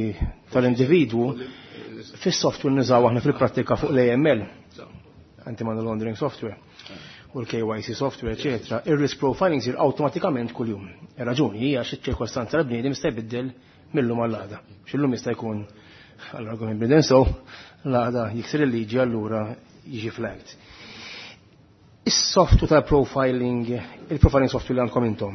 S9: tal-individwu fis-software nużaw aħna fil-prattika fuq l-A M L, anti-money laundering software, u l-K Y C software, eccetera. Il-risk profiling isir automatikament kuljum. Ir-raġuni hija xi ċirkostanza tal-bniedem jista' jbiddel mill-lum għall-għada. X'illum jista' jkun għall-argument bniedem so, l-għada jiksir il-liġi, allura jiġi flagged. Is-software tal-profiling, il-profiling software li għandkom intom,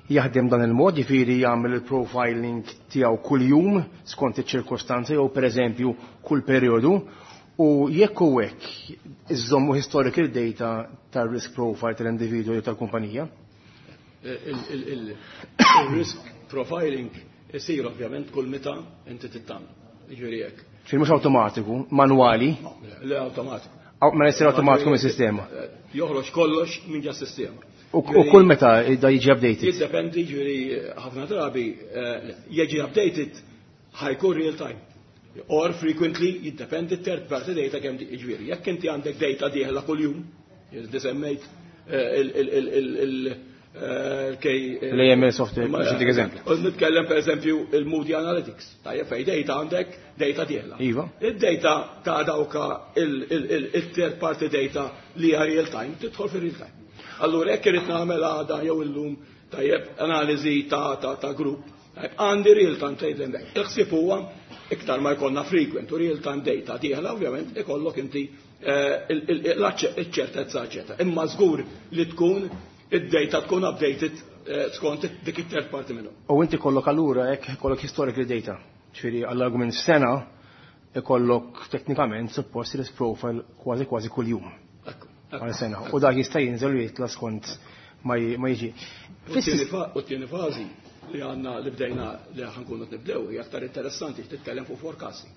S9: jaħdem dan il-mod, jiġifieri jagħmel il-profiling tiegħu kuljum skont iċ-ċirkostanzi jew pereżempju kull perjodu, u jekk u hekk iżommu historical data tal-risk profile tal-individwu jew tal-kumpanija?
S5: Il-risk profiling isir ovvjament kull meta inti tittam. Jiġifieri hekk.
S9: Ġifieri mhux awtomatiku, manwali?
S5: Le, automatiku.
S9: Ma jsir automatiku mis-sistema.
S5: Joħroġ kollox minn ġa sistema.
S9: U kull meta da jiġi updated?
S5: Jiddependi, ġifieri ħafna drabi jiġi updated, ħa jkun real time. Or frequently, jiddependi third party data kemm ġifieri. Jekk inti għandek data dieħla kuljum, semmejt il
S9: L-A M L software, biex dik eżempju.
S5: Nitkellem per eżempju il-Moody Analytics. Tajjeb, fej data għandek data dieħla.
S9: Iva.
S5: Id-data ta' dawka il-third party data li hija real time, tidħol fi real time. Allura jekk irid nagħmel għada jew illum tajjeb analiżi ta' ta' ta' grupp, tajjeb għandi real time tgħid hemmhekk. Il-ħsieb huwa iktar ma jkollna frequent u real time data dieħla, ovvjament ikollok inti iċ-ċertezza, eċetera. Imma żgur li tkun id-data tkun updated skont dik it-third party minnhom.
S9: U inti kollok allura hekk kollok historical data. Ġifieri għall-argument sena ikollok teknikament suppost risk profile kważi kważi kuljum. Għal sena. U dak jista' jinżel u jitla skont ma jiġi.
S5: U t-tieni fażi li għandna li bdejna li ħa nkunu nibdew hija aktar interessanti, titkellem fuq forecasting.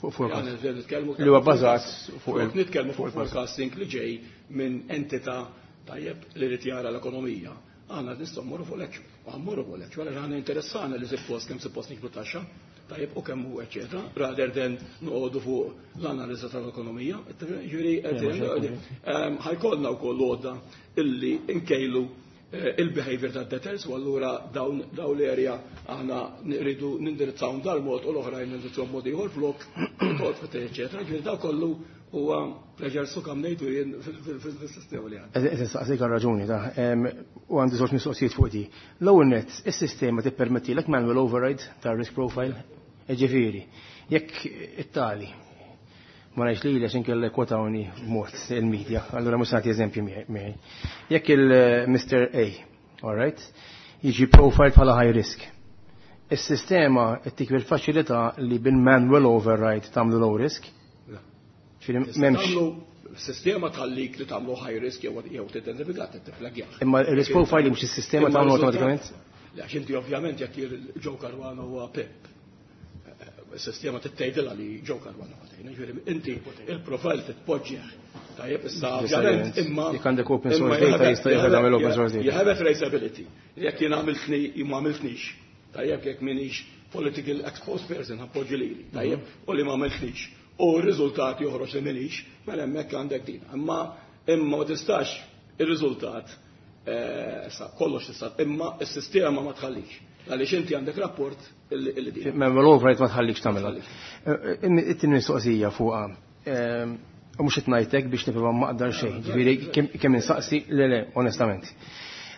S9: Fuq forecasting. Li huwa bbażat
S5: fuq nitkellmu fuq forecasting li ġej minn entità tajjeb li rid jara l-ekonomija. Għandna nistgħu mmorru fuq l-actual. U mmorru fuq l-actual għax għandna interessana li suppost kemm suppost nikbru taxxa. tajjeb u kemm hu eċetera, rather than noqogħdu fuq l-analiża tal-ekonomija. Ġifieri ħa jkollna wkoll għodda illi nkejlu il-behavior ta' debtors u allura dawn dawn l-area aħna rridu nindirizzawhom dal-mod u l-oħrajn nindirizzawhom mod ieħor flok, eċetera. Ġifieri daw kollu huwa pleasure su kam ngħidu jien fil-sistema li għandna.
S9: Qed insaqsik raġuni ta' u għandi żewġ mistoqsijiet fuq di. L-ewwel nett, is-sistema tippermettilek manual override ta' risk profile, ġifieri, jekk it-tali ma ngħidx li għax inkella kwotawni b'mod il-media, allura mhux nagħti eżempju miegħi. Jekk il-Mister A, all right, jiġi profile bħala high risk. Is-sistema ttik il-faċilità li bil-manual override tagħmlu low risk. M'hemmx.
S5: Sistema tħallik li tagħmlu high risk jew jew tidentifika tiflagjah.
S9: Imma il-risk profile mhux is-sistema tagħmlu awtomatikament?
S5: Le, għax inti ovvjament jekk Joe Caruana huwa P I P. Is-sistema tgħidilha li Joe Caruana huwa ġifieri inti il-profile titpoġġih. Tajjeb, issa ovvjament imma
S9: jekk għandek open source data jista' jagħmel open source data.
S5: You have a traceability. Jekk jien għamiltni ma għamiltnix. Tajjeb, jekk minix political exposed person appoġġi lili. Tajjeb, u li ma għamiltnix. U r-riżultat joħroġ li minix, mela hemmhekk għandek din. Imma imma ma tistax ir-riżultat sa kollox tista' imma s-sistema ma tħallix. Għaliex inti għandek rapport illi din.
S9: Manual override ma tħallikx tagħmilha. It-tieni mistoqsija fuqha. U mhux qed ngħidlek biex nipprova maqdar xejn, ġifieri kemm insaqsi le le, onestament.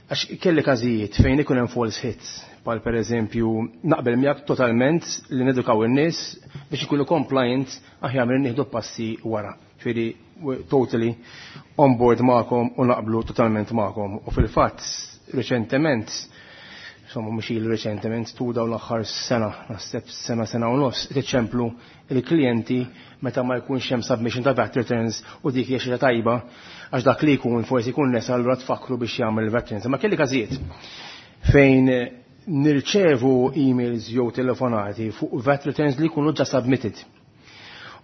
S9: Għax kelli każijiet fejn ikun hemm false hits, bħal pereżempju naqbel miegħek totalment li nedukaw in-nies biex ikunu compliant aħjar minn nieħdu passi wara. Ġifieri totally on board magħkom u naqblu totalment magħkom. U fil-fatt reċentement, insomma mhux ilu reċentement, tu dawn l-aħħar sena, naħseb sena sena u nofs, tiċċemplu il-klijenti meta ma jkunx hemm submission ta' V A T returns u dik hija xi tajba għax dak li jkun forsi jkun nesa, allura tfakru biex jagħmel il-V A T returns. Ma kelli każijiet fejn nirċevu emails jew telefonati fuq V A T returns li jkunu ġa submitted.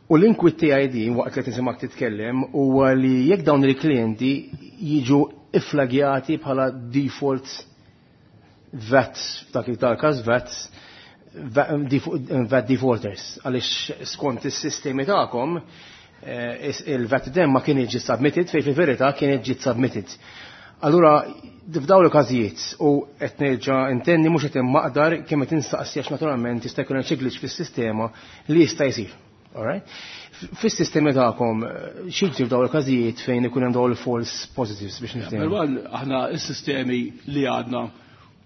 S9: U l-inkwiet tiegħi din waqt li tinsimak titkellem huwa li jekk dawn il-klijenti jiġu iflagjati bħala default V A T, f'dak il-każ V A T, V A T defaulters, għaliex skont is-sistemi tagħkom il-V A T dem ma kien ġiet submitted fej fil-verità kienet ġiet submitted. Allura, f'dawn l-każijiet, u qed nerġa' intenni mhux qed immaqdar kemm qed instaqsi għax naturalment jista' jkun hemm xi glitch fis-sistema li jista' jsir. Alright? Fis-sistemi tagħkom xi f'dawn il-każijiet fejn ikun hemm dawn il-false positives biex niftehmu?
S5: Aħna s-sistemi li għadna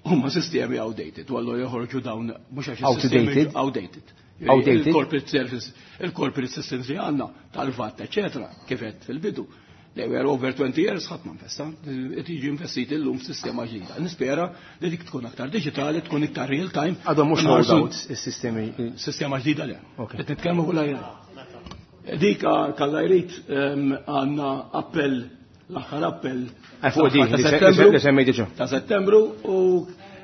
S5: huma sistemi outdated, u allura joħorġu dawn mhux għax
S9: outdated.
S5: Outdated.
S9: Outdated.
S5: Il-corporate service, il-corporate systems li għandna tal-V A T, eċetera, kif qed fil-bidu. They were over twenty years, ħadd ma investa, qed jiġi investit illum f'sistema ġdida. Nispera li dik tkun aktar diġitali, tkun iktar real time.
S9: Għadhom mhux rolled out is-sistemi.
S5: Sistema ġdida le. Qed nitkellmu kull Dik kalla jrid għandna appell, l-aħħar appell.
S9: Fuq dik li semmejt diġà.
S5: Ta' Settembru u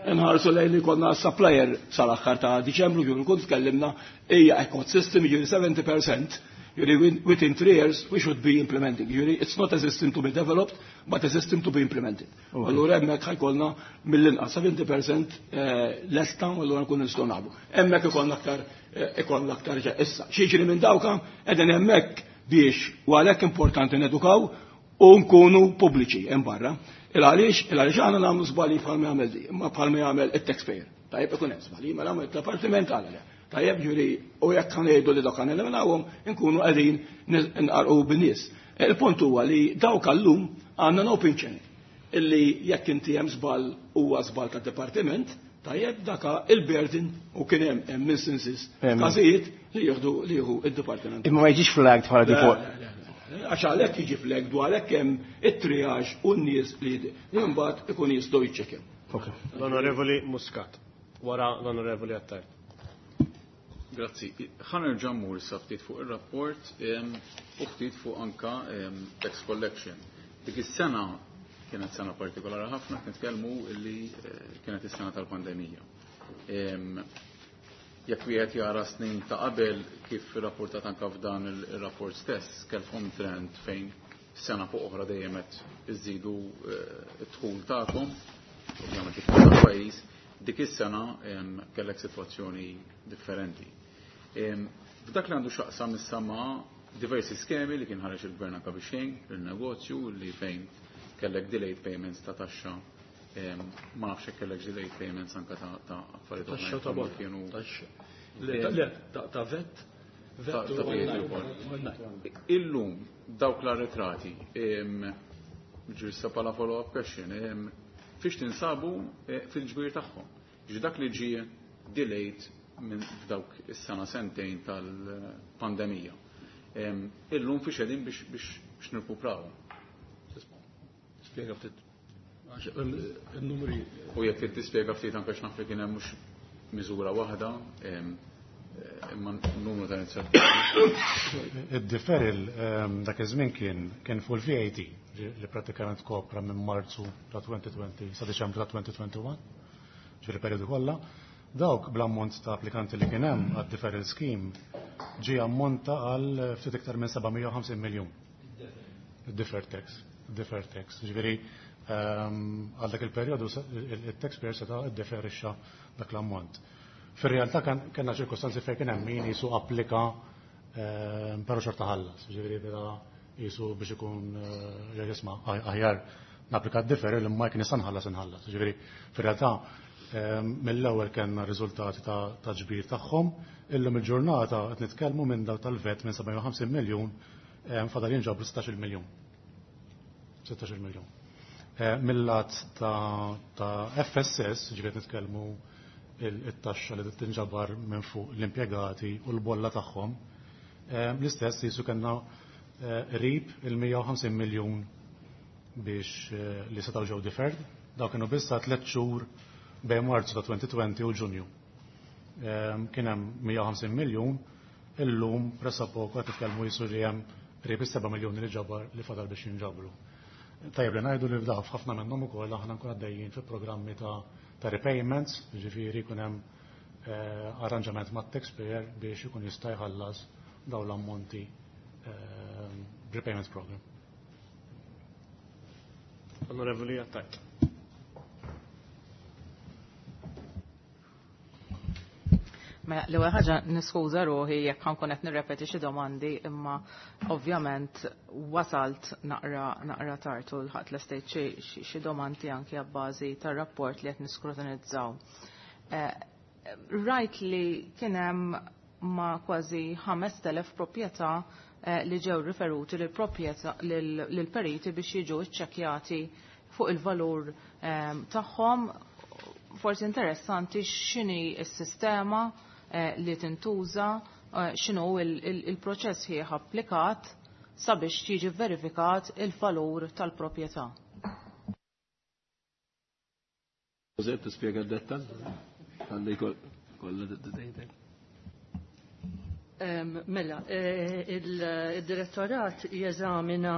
S5: nħarsu lejn li konna supplier sal-aħħar ta' Diċembru, ġifieri kont tkellimna hija ecosystem, ġifieri seventy percent. Ġifieri within three years we should be implementing. Ġifieri it's not a system to be developed, but a system to be implemented. Allura hemmhekk ħa jkollna mill-inqas seventy percent lesta u allura nkun nistgħu nagħmlu. Hemmhekk ikollna aktar ikollna aktar issa. Xi jiġri minn dawka qegħdin hemmhekk biex u għalhekk importanti nedukaw u nkunu pubbliċi hemm barra. Il għaliex, il għaliex aħna nagħmlu żbalji bħalma jagħmel di, imma bħalma jagħmel it-taxpayer. Tajjeb, ikun hemm żbalji, mela id-dipartiment għala le. Tajjeb, ġuri, u jekk ngħidu li dawk eliminawhom, inkunu qegħdin nqarqu bin-nies. Il-punt huwa li dawk allum għandna open channel illi jekk inti hemm żball huwa żball tad-dipartiment, tajjeb, daka il-burden u kien hemm hemm instances każijiet li jieħdu li jieħu id-dipartiment.
S9: Imma ma jiġix flagged bħala default.
S5: Għax għalhekk jiġi flagged u għalhekk hemm it-triage u n-nies li li mbagħad ikun jistgħu jiċċekkjaw.
S2: L-Onorevoli Muscat, wara l-Onorevoli Attard.
S3: Grazzi. Ħa nerġa' mmur issa ftit fuq ir-rapport u ftit fuq anka tax collection. Dik is-sena kienet sena partikolari ħafna, nitkellmu illi kienet is-sena tal-pandemija. Jekk wieħed jara snin ta' qabel kif rapportat anka f'dan il-rapport stess, kellkom trend fejn sena fuq oħra dejjem qed iżidu d-dħul tagħkom, ovvjament id-dħul tal-pajjiż, Dik is-sena kellek sitwazzjoni differenti. F'dak li għandu x'aqsam issa ma' diversi skemi li kien ħareġ il-gvern anke biex jgħin il-negozju li fejn kellek delayed payments ta' taxxa, ma nafx hekk kellek delayed payments anke ta' affarijiet
S5: oħra. Ta' kienu Le, ta' vet.
S3: Illum dawk l-arretrati, ġurissa pala follow-up question, fiex tinsabu fil-ġbir tagħhom. Ġi dak li ġie delayed minn f'dawk is-sena sentejn tal-pandemija. Illum fiex qegħdin biex nirkupraw.
S5: Spjega ftit. Il-numri.
S3: U jekk trid tispjega ftit anke x'naf li kien hemm mhux miżura waħda, imma numru ta' inizjattivi.
S6: Id-deferral dak iż-żmien kien kien fuq il-V A T li pratikament kopra minn Marzu ta' twenty twenty sa Diċembru ta' twenty twenty-one, ġifieri periodu kollha. Dawk bl-ammont ta' applikanti li kien hemm għad-deferral scheme ġie ammonta għal ftit iktar minn seba' mija u ħamsin miljun. Id-deferred tax, deferred tax. Ġifieri għal dak il-perjodu il-taxpayer seta' iddeferixxa dak l-ammont. Fir-realtà kellna ċirkostanzi fejn kien hemm min jisu applika però xorta ħallas, ġifieri beda jisu biex ikun jisma' aħjar napplika d-deferral imma jekk nista' nħallas inħallas. Ġifieri fir-realtà mill-ewwel kellna riżultati ta' ġbir tagħhom, illum il-ġurnata qed nitkellmu minn daw tal-vet minn seba' u ħamsin miljun fadal jinġabru sittax-il miljun. sittax-il miljun. Mill-lat ta' F S S, ġifieri qed nitkellmu it-taxxa li tinġabar minn fuq l-impjegati u l-bolla tagħhom, l-istess jisu kellna qrib il-mija u ħamsin miljun biex li setgħu ġew deferred. Dawk kienu biss ta' tliet xhur bejn Marzu ta' twenty twenty u Ġunju. Kien hemm mija u ħamsin miljun, illum pressappoco qed nitkellmu jisu li hemm qrib is-seba' miljuni li ġabar li fadal biex jinġabru. Tajjeb li ngħidu li f'daf ħafna minnhom ukoll aħna nkun għaddejjin fi programmi ta' ta' repayments, ġifieri jkun hemm arranġament mat-taxpayer biex ikun jista' jħallas dawn l-ammonti repayment program.
S2: Onorevoli Attard.
S10: Mela, l-ewwel ħaġa niskuża ruħi jekk ħankun qed nirrepeti xi domandi, imma ovvjament wasalt naqra naqra tard u lħaqt l-estate xi domandi anki abbażi tar-rapport li qed niskrutinizzaw. Rajt li kien hemm ma' kważi ħamest elef proprjetà li ġew riferuti lil proprjetà lil periti biex jiġu ċċekkjati fuq il-valur tagħhom. Forsi interessanti x'inhi s-sistema li tintuża, x'inhu il-proċess ħieħ applikat sabiex jiġi verifikat il-valur tal-proprjetà.
S5: Josep, tispjega d-dettall? Għalli kollha d-dejtek.
S11: Mela, il-direttorat jeżamina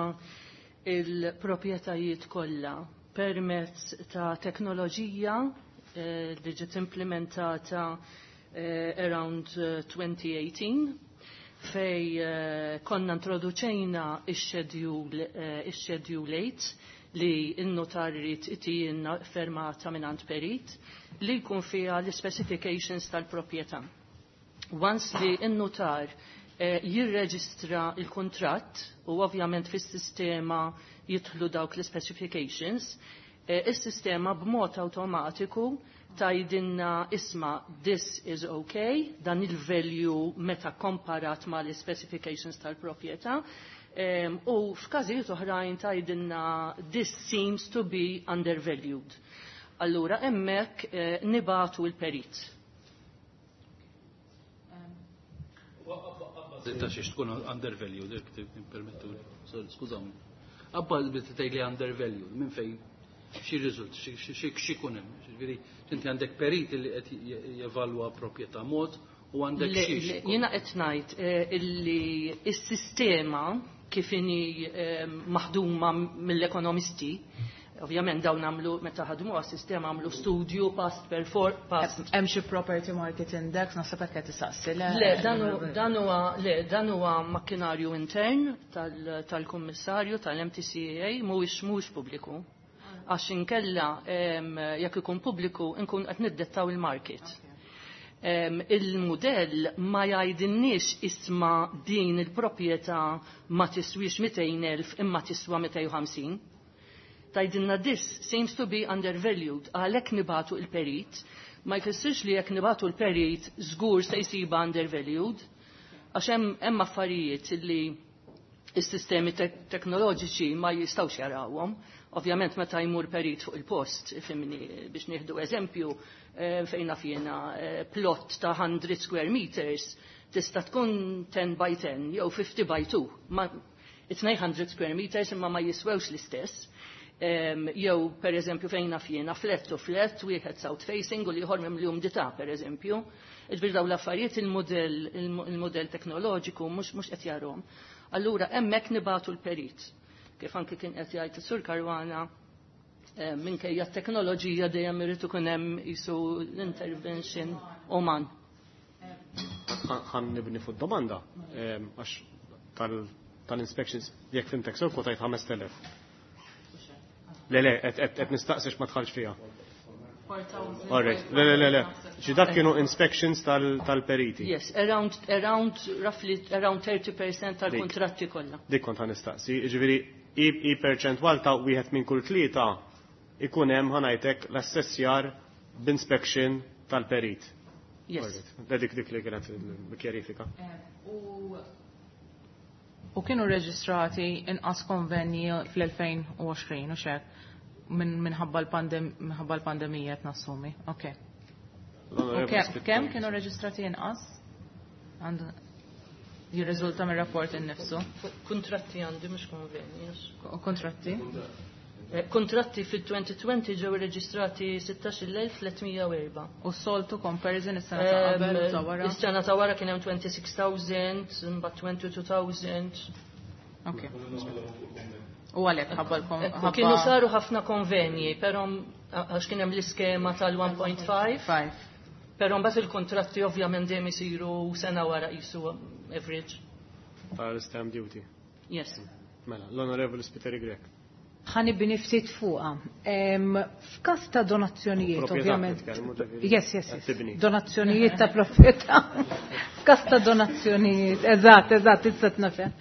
S11: il-proprjetajiet kollha permezz ta' teknoloġija li ġiet implementata around twenty eighteen fej konna introduċejna ix-schedule ix-schedule eight li n-notar irid itijinna fermata mingħand perit li jkun fiha l-specifications tal-proprjetà. Once li n-notar jirreġistra il-kontratt u ovvjament fis-sistema jidħlu dawk l-specifications, is-sistema b'mod awtomatiku tajdinna isma this is okay, dan il-value meta komparat ma l-specifications tal-proprjetà, u f'każijiet oħrajn tajdinna this seems to be undervalued. Allura hemmhekk nibatu l-perit.
S4: Ta' xiex tkun undervalued, jekk tippermettuli. Skużawni. Abba tgħidli undervalued, minn fejn xi riżult, xi jkun hemm. Ġifieri inti għandek perit li qed jevalwa proprjetà mod u għandek xi.
S11: Jiena qed ngħid illi s-sistema kif inhi maħduma mill-ekonomisti, ovvjament dawn għamlu meta ħadmu għas-sistema għamlu studju past perform past.
S10: Hemm xi property market index naħseb hekk qed tisaqsi.
S11: Le, dan huwa le, dan huwa makkinarju intern tal-kummissarju tal-M T C A mhuwiex mhuwiex pubbliku. Għax inkella jekk ikun pubbliku nkun qed niddettaw il-market. Il-mudell ma jgħidilniex isma din il-proprjetà ma tiswix mitejn elf imma tiswa mitejn u ħamsin. Tgħidilna this seems to be undervalued, għalhekk nibatu il-perit, ma jfissirx li jekk nibatu l-perit żgur se jsiba undervalued, għax hemm affarijiet li s-sistemi teknoloġiċi ma jistgħux jarawhom. Ovvjament meta jmur perit fuq il-post, fimni biex nieħdu eżempju, fejn naf jiena plot ta' hundred square meters tista' tkun ten by ten jew fifty by two. Ma, it's nine hundred square meters imma ma jiswewx l-istess. Jew per eżempju fejn naf jiena flat u flat, wieħed south facing u l-ieħor mimli umdità per eżempju. Iġbir dawn l-affarijiet il-modell, il-modell teknoloġiku mhux mhux qed jarhom. Allura hemmhekk nibatu l-perit. Kif anki kien qed jgħid is-Sur Caruana, minkejja t-teknoloġija dejjem irid ikun hemm qisu l-intervention uman.
S2: Ħan nibni fuq domanda, għax tal-inspections jekk fimtek sew kwotajt ħames telef. Le, le, qed nistaqsix ma tħallx fiha. All right, le, le, le, le. Ġi dak kienu inspections tal-periti.
S11: Yes, around, around, roughly around thirty percent tal-kontratti kollha.
S2: Dik kont ħan nistaqsi, jiġifieri i perċentwal ta' wieħed minn kull tlieta ikun hemm ħanajtek l-assessjar b'inspection tal-perit.
S11: Yes.
S2: All right. Dik dik li kienet il-kjarifika.
S10: U kienu reġistrati inqas konvenji fl-elfejn u għoxrin u xek minħabba l-pandemija qed nassumi. Ok. Kemm kienu reġistrati inqas? Jirriżulta mir-rapport innifsu.
S11: Kontratti għandi mhux konvenji.
S10: Kontratti?
S11: Kontratti fil-twenty twenty ġew irreġistrati sittax-il elf tlietmija u erba'.
S10: U s-soltu comparison is-sena ta' qabel u ta' wara?
S11: Is-sena ta' wara kien hemm twenty-six thousand, imbagħad twenty-two thousand.
S10: Ok. U għalhekk ħabba l-kon- ħabba
S11: Kienu saru ħafna konvenji, però għax kien hemm l-iskema tal-one point five.
S10: Five.
S11: Però mbagħad il-kontratti ovvjament dejjem isiru sena wara qisu average.
S2: Tal-stamp duty.
S11: Yes.
S2: Mela, l-Onorevoli Spiteri Grech.
S12: Ħanibni ftit fuqha. F'każ ta' donazzjonijiet,
S2: Proprjetà
S12: ovvjament.
S2: nitkellmu, ġifieri.
S12: Yes, yes, yes.
S2: Tibni.
S12: Donazzjonijiet ta' proprjetà. F'każ ta' donazzjonijiet, eżatt, eżatt, issa tnafhem.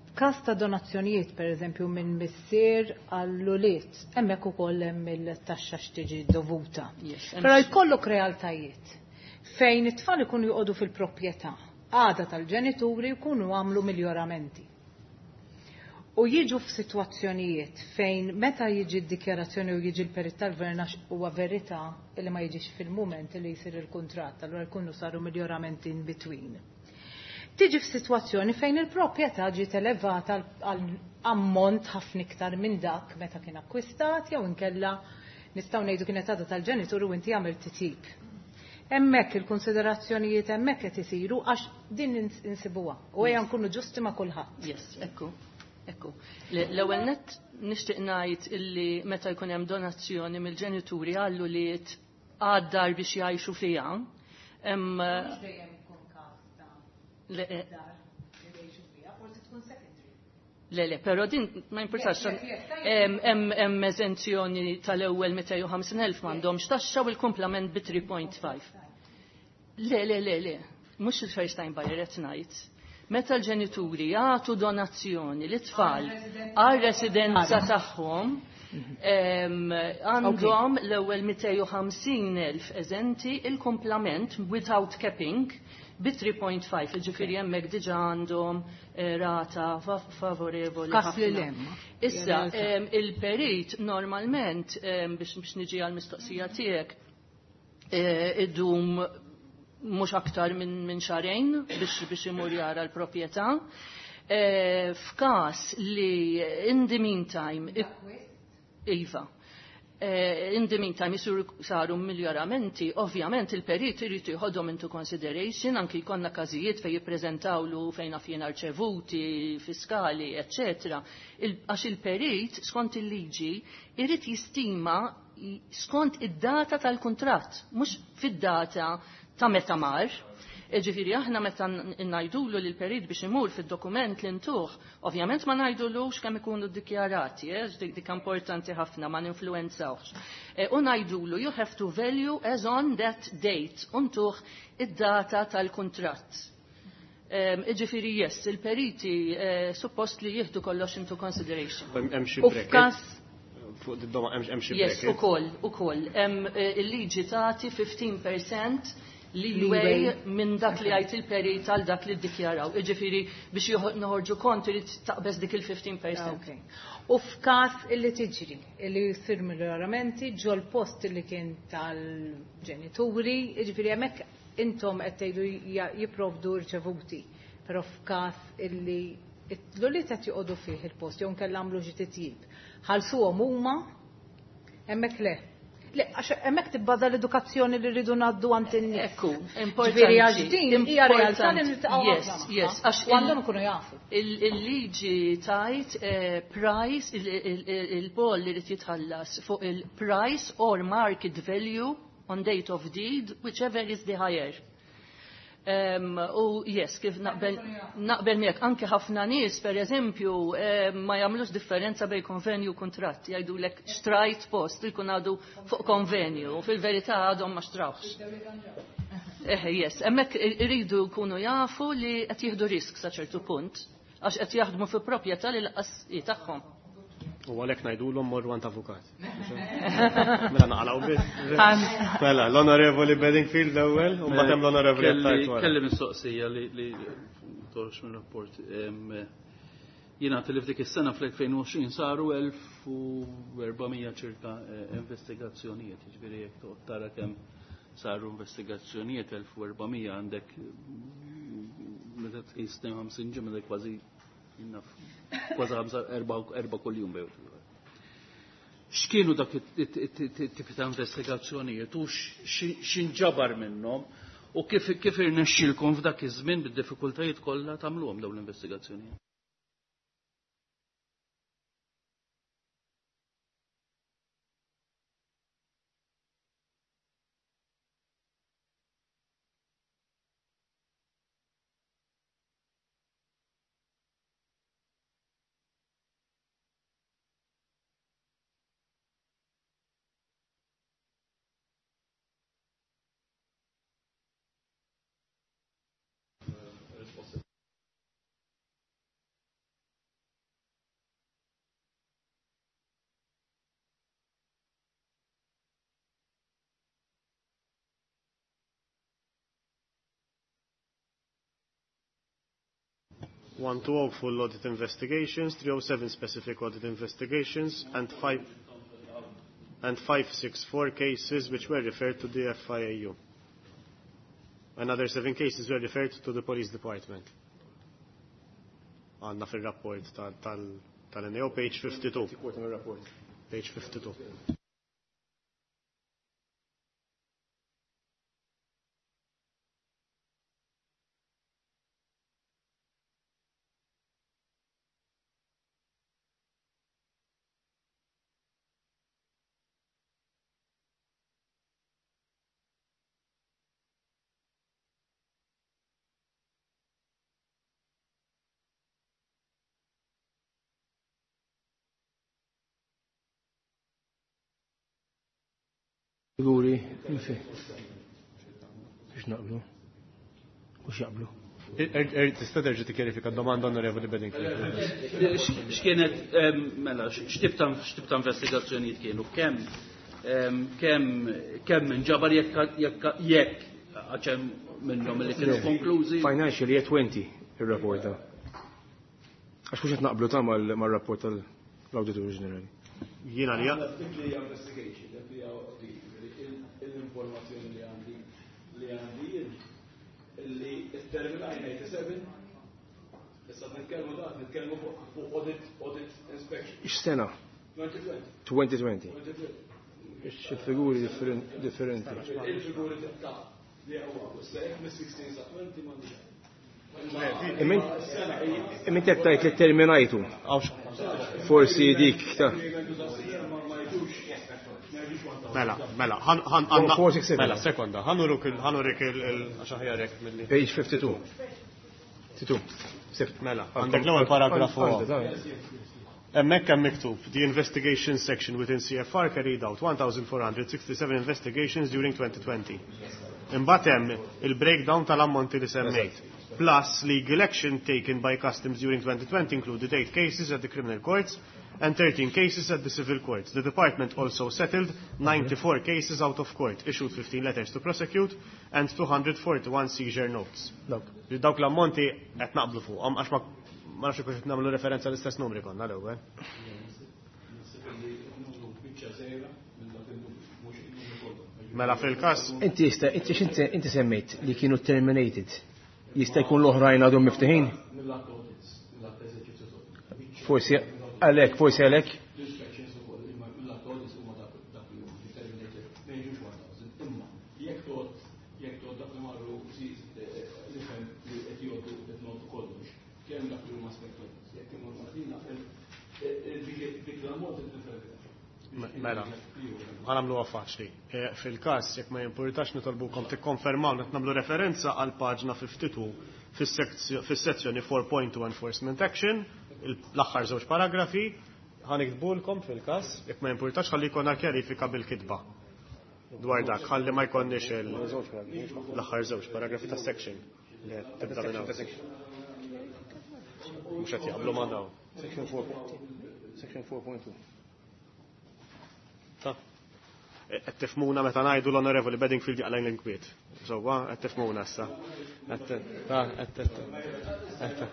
S12: F'każ ta' donazzjonijiet, per eżempju, minn missier għall-ulied, hemmhekk ukoll hemm il-taxxa x'tiġi dovuta.
S11: Yes,
S12: Però jkollok realtajiet fejn it-tfal ikunu joqogħdu fil-proprjetà, għada tal-ġenituri jkunu għamlu miglioramenti. U jiġu f'sitwazzjonijiet fejn meta jiġi d-dikjarazzjoni u jiġi l-perit tal-gvern għax huwa verità li ma jiġix fil-mument li jsir il-kuntratt, allura jkunu saru miglioramenti in between. Tiġi f'sitwazzjoni fejn il-proprjetà ġiet elevata għal ammont ħafna iktar minn dak meta kien akkwistat jew inkella nistgħu ngħidu kienet għadha tal-ġenitur u inti għamilt titjib. Hemmhekk il-konsiderazzjonijiet hemmhekk qed isiru għax din insibuha u ejja nkunu ġusti ma' kulħadd.
S11: Yes, ekku. Ekku. L-ewwel nett nixtieq ngħid illi meta jkun hemm donazzjoni mill-ġenituri għall-ulied għad-dar biex jgħixu fiha. Hemm
S12: Mhux dejjem ikun każ ta'
S11: Le, eh.
S12: dar li jgħixu fiha, forsi tkun secondary.
S11: Le, le, però din ma importax.
S12: Yes, yes, yes,
S11: Hemm, hemm, hemm eżenzjoni tal-ewwel mitejn u ħamsin elf m'għandhomx taxxa u l-kumplament bi three point five. Le, le, le, le, mhux il-first time buyer qed ngħid. Meta l-ġenituri jagħtu donazzjoni lit-tfal għar-residenza tagħhom, em, għandhom l-ewwel mitejn u ħamsin elf eżenti il-kumplament without capping bi three point five, jiġifieri hemmhekk diġà għandhom, eh, rata fa-, favorevoli
S12: Kas li
S11: ħafna.
S12: hemm.
S11: Issa,
S12: Realtà.
S11: em, il-perit normalment, em, biex, biex niġi għall-mistoqsija tiegħek, eh, idum mhux aktar minn, minn xahrejn biex, biex imur jara l-proprjetà. Eh, f'każ li in the meantime Iva. Eh, in the meantime jisur saru miglioramenti, ovvjament il-perit irid jieħodhom into consideration, anki jkollna każijiet fejn jippreżentawlu fejn naf jien arċevuti, fiskali, eċċetera. Il-, għax il-perit skont il-liġi irid jistima skont id-data tal-kuntratt, mhux fid-data ta' meta mar. Ġifieri aħna meta ngħidulu lil perit biex imur fid-dokument li ntuh, ovvjament ma ngħidulux kemm ikunu ddikjarati, eh, dik dik importanti ħafna ma ninfluwenzawx. Eh, u ngħidulu you have to value as on that date, u ntuh id-data tal-kuntratt. Ġifieri yes, il-periti eh, suppost li jieħdu kollox into consideration.
S2: Hemm xi
S12: U f'każ
S2: Fuq id-doma hemm xi
S11: Yes,
S2: bracket.
S11: ukoll, ukoll. Hemm eh, il-liġi tagħti fifteen percent leeway minn dak li għajt il-perit għal dak li ddikjaraw. Iġifieri biex joħ- noħorġu kont irid taqbeż dik il-fifteen percent.
S12: Ok. U f'każ illi tiġri, illi jsir miglioramenti ġol post li kien tal-ġenituri, jiġifieri hemmhekk intom qed tgħidu ja- jipprovdu rċevuti, però f'każ illi l-ulied qed joqogħdu fih il-post jew nkella għamlu xi titjib, ħallsuhom huma, hemmhekk le. Le, għax hemmhekk tibbaża l-edukazzjoni li rridu ngħaddu għand in-nies.
S11: Ekku,
S12: Ġifieri għax
S11: importanti.
S12: din hija realtà li
S11: Importanti.
S12: niltaqgħu
S11: Yes,
S12: ħafna
S11: yes,
S12: magħha.
S11: għax
S12: U għandhom ikunu jafu.
S11: Il- Il-liġi tajt eh, price, il-boll li rrid jitħallas fuq il-price or market value on date of deed, whichever is the higher. Um, u yes, kif naqbel, naqbel miegħek, anke ħafna nies, per eżempju, um, ma jagħmlux differenza bejn konvenju u kuntratt. Jgħidulek xtrajt post, jkun għadu fuq konvenju, u fil-verità għadhom ma xtrawx. Eh, yes, hemmhekk iridu jkunu jafu li qed jieħdu risk sa ċertu punt, għax qed jaħdmu fi proprjetà li lanqas hi tagħhom.
S2: U għalhekk ngħidulhom morru għand avukat. Mela naqalgħu biss. Mela, l-Onorevoli Bedingfield l-ewwel, u mbagħad hemm l-Onorevoli
S4: Kelli
S2: Attard wara.
S4: Kelli mistoqsija li li toħroġ minn rapport. Em, Jiena li f'dik is-sena fl-elfejn u għoxrin saru elf u erba' mija ċirka eh, investigazzjonijiet, jiġifieri jekk toqgħod tara kemm saru investigazzjonijiet elf u erba' mija għandek mm, meta tqis tnejn u ħamsin ġimgħa għandek kważi jinnaf kważi ħamsa erba' erba' kuljum bejn. X'kienu dak it-tipi ta' investigazzjonijiet u x'inġabar minnhom u kif kif irnexxielkom f'dak iż-żmien bid-diffikultajiet kollha tagħmluhom dawn l-investigazzjonijiet?
S2: One two oh full audit investigations, three oh seven specific audit investigations, and five and five sixty-four cases which were referred to the F I A U. Another seven cases were referred to the police department. Għandna fil-rapport tal-N A O, page fifty-two. Page fifty-two.
S9: Figuri, infi. Biex naqblu. Mux jaqblu.
S2: Tista' terġa' tikkjarifika d-domanda, Onorevoli Bedingfield?
S4: X'kienet em, mela x'tip ta' x'tip ta' investigazzjonijiet kienu, kemm em, kemm kemm inġabar jekk jekk jekk għax hemm minnhom li kienu konklużi.
S9: Financial year twenty il-rapport da. Għax mux qed naqblu ta' mal-rapport tal-Auditor Ġenerali.
S2: Jiena li
S5: Dik li hija investigation, dik li hija audit, l-informazzjoni li għandi li għandi jien li terminajna tminja u sebgħin, issa nitkellmu da nitkellmu fuq fuq audit audit inspection.
S9: X'sena?
S5: twenty twenty.
S9: twenty twenty.
S5: twenty twenty.
S9: Xi figuri differenti.
S5: Il-figuri ta' li huwa issa jekk mis-sittax sa twenty m'għandix.
S9: Imma qed tgħid li terminajtu. Forsi dik ta'
S5: Ma jgħidux.
S2: Mela, mela, ħan għanna. Mela, sekonda, ħanuruk il-ħanurik il-għaxaħjarek mill-li.
S9: Page fifty-two. Titu.
S2: Mela, għandek l-ewwel paragrafu. Hemmhekk hemm miktub, the investigation section within C F R carried out one thousand four hundred sixty-seven investigations during twenty twenty. Imbagħad hemm il-breakdown tal-ammonti li semmejt. Plus, legal action taken by customs during twenty twenty included eight cases at the criminal courts and thirteen cases at the civil courts. The department also settled ninety-four cases out of court, issued fifteen letters to prosecute and two hundred forty-one seizure notes. Dawk l-ammonti qed naqblu fuqhom għax ma ma nafx kux nagħmlu referenza l-istess numri konna l-ewwel. Mela fil-każ
S9: Inti jista' inti x'inti inti semmejt li kienu terminated. Jista' jkun l-oħrajn għadhom miftuħin? Forsi għalhekk, forsi għalhekk.
S5: L-inspections ukoll, imma mill-audits huma dak li huma terminated, ma jiġux elf. Imma jekk tgħod jekk tgħod dak li marru nifhem li qed jgħoddu qed ngħoddu kollox, kemm dak li huma inspectors, jekk imur Martina, dik l-ammont nifhem.
S2: Mela, ħa nagħmluha faċli. Eh, Fil-każ, jekk ma jimpurtax nitolbukom tikkonfermaw qed nagħmlu referenza għal paġna tminja u ħamsin fis-sezzjoni four point two Enforcement Action, l-aħħar żewġ paragrafi, ħa niktbulkom fil-każ, jekk ma jimpurtax ħalli jkollna kjarifika bil-kitba dwar dak, ħalli ma jkollniex l-aħħar żewġ paragrafi ta' section li tibda minn hawn. Mhux qed jaqblu ma' dawn.
S9: Section four. Section four point two.
S2: Ta' qed tifhmuna meta ngħidu l-Onorevoli Bedingfield jaqlajn l-inkwiet. Sewwa, qed tifhmuna issa. Qed ta' qed qed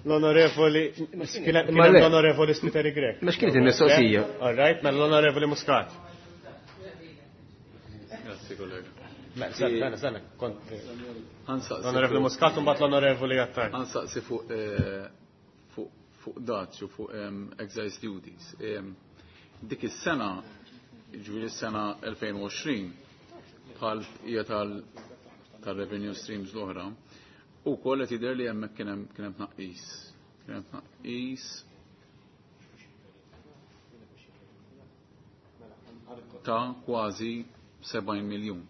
S2: L-Onorevoli kien hemm l-Onorevoli Spiteri Grech.
S9: Ma x'kienet il-mistoqsija?
S2: All right, mela l-Onorevoli Muscat.
S3: Grazzi, kollega.
S2: Mela, sena, sena, kont. L-Onorevoli Muscat u mbagħad l-Onorevoli Attard.
S3: Ħa nsaqsi fuq eh, fuq fuq dazju, fuq excise duties. Dik is-sena, ġifieri s-sena elfejn u għoxrin, bħal hija tal-revenue streams l-oħra, u koll qed jidher li hemmhekk kien hemm kien hemm tnaqqis. Kien hemm tnaqqis ta' kważi sebgħin miljun.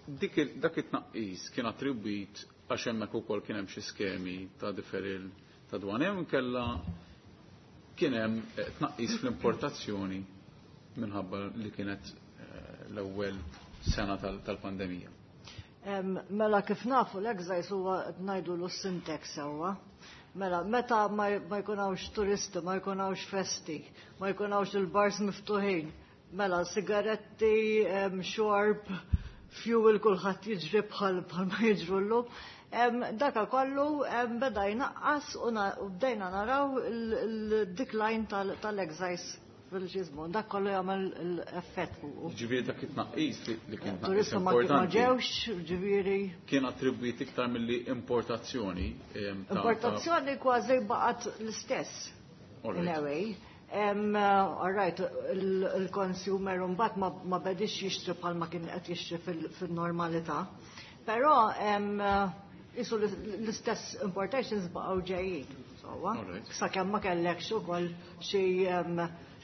S3: Dik dak it-tnaqqis kien attribwit għax hemmhekk ukoll kien hemm xi skemi ta' deferral ta' dwana jew inkella kien hemm eh, tnaqqis fl-importazzjoni minħabba li kienet eh, l-ewwel sena tal-pandemija.
S13: Mela kif nafu l-excise huwa ngħidu l sin tax sewwa. Mela, meta ma jkun hawnx turisti, ma jkun hawnx festi, ma jkun hawnx il-bars miftuħin, mela sigaretti, xorb, fuel, kulħadd jiġri bħal bħal ma jiġru llum. Daka kollu beda jnaqqas u bdejna naraw il-decline tal-excise fil-ġizmu. Dak kollu jagħmel l-effett fuq.
S3: Ġifieri dak it-tnaqqis li kien
S13: tnaqqis importanti. Ma ġewx, ġifieri.
S3: Kien attribwit iktar milli importazzjoni.
S13: Importazzjoni kważi baqgħet l-istess. In a way. All right, il-consumer mbagħad ma bedix jixtri bħalma kien qed jixtri fil-normalità. Però isu l-istess importations baqgħu ġejjin. Sewwa. Sakemm ma kellekx ukoll xi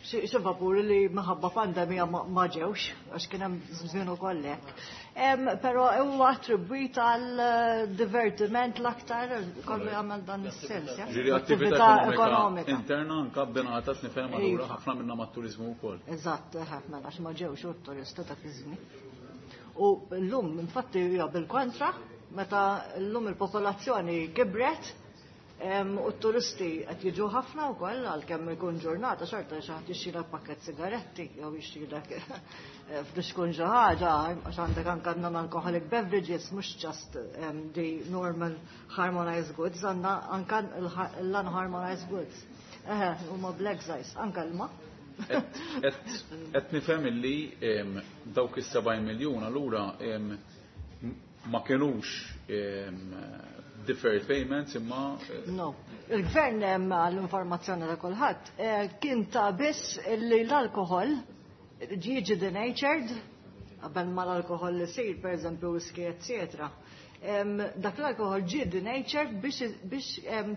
S13: xi vapuri li minħabba pandemija ma ġewx, għax kien hemm żmien ukoll hekk. Però huwa attribwit għal divertiment l-aktar kollu jagħmel dan is-sens.
S3: Ġifieri attività ekonomika interna anka bbenata nifhem allura ħafna minnha mat-turiżmu wkoll.
S13: Eżatt, mela għax ma ġewx u t-turisti dak iż-żmien. U llum infatti hija bil-kontra, meta llum il-popolazzjoni kibret, u t-turisti qed jiġu ħafna wkoll għalkemm ikun ġurnata xorta xi ħadd jixtrilek pakket sigaretti jew jixtrilek f'biex xi ħaġa għax għandek anke non-alcoholic beverages, mhux just the normal harmonized goods, għandna anke l-unharmonized goods. Eħe, huma bl-excise, anke l-ma.
S3: Qed nifhem illi dawk is-sebgħin miljun allura ma kinux deferred payments imma
S13: eh, No. Il-gvern għall-informazzjoni ta' kulħadd eh, kien ta' biss li l-alkohol jiġi denatured qabel ma l-alkohol li sir, per eżempju whisky, eccetera. Dak l-alkohol ġie denatured biex biex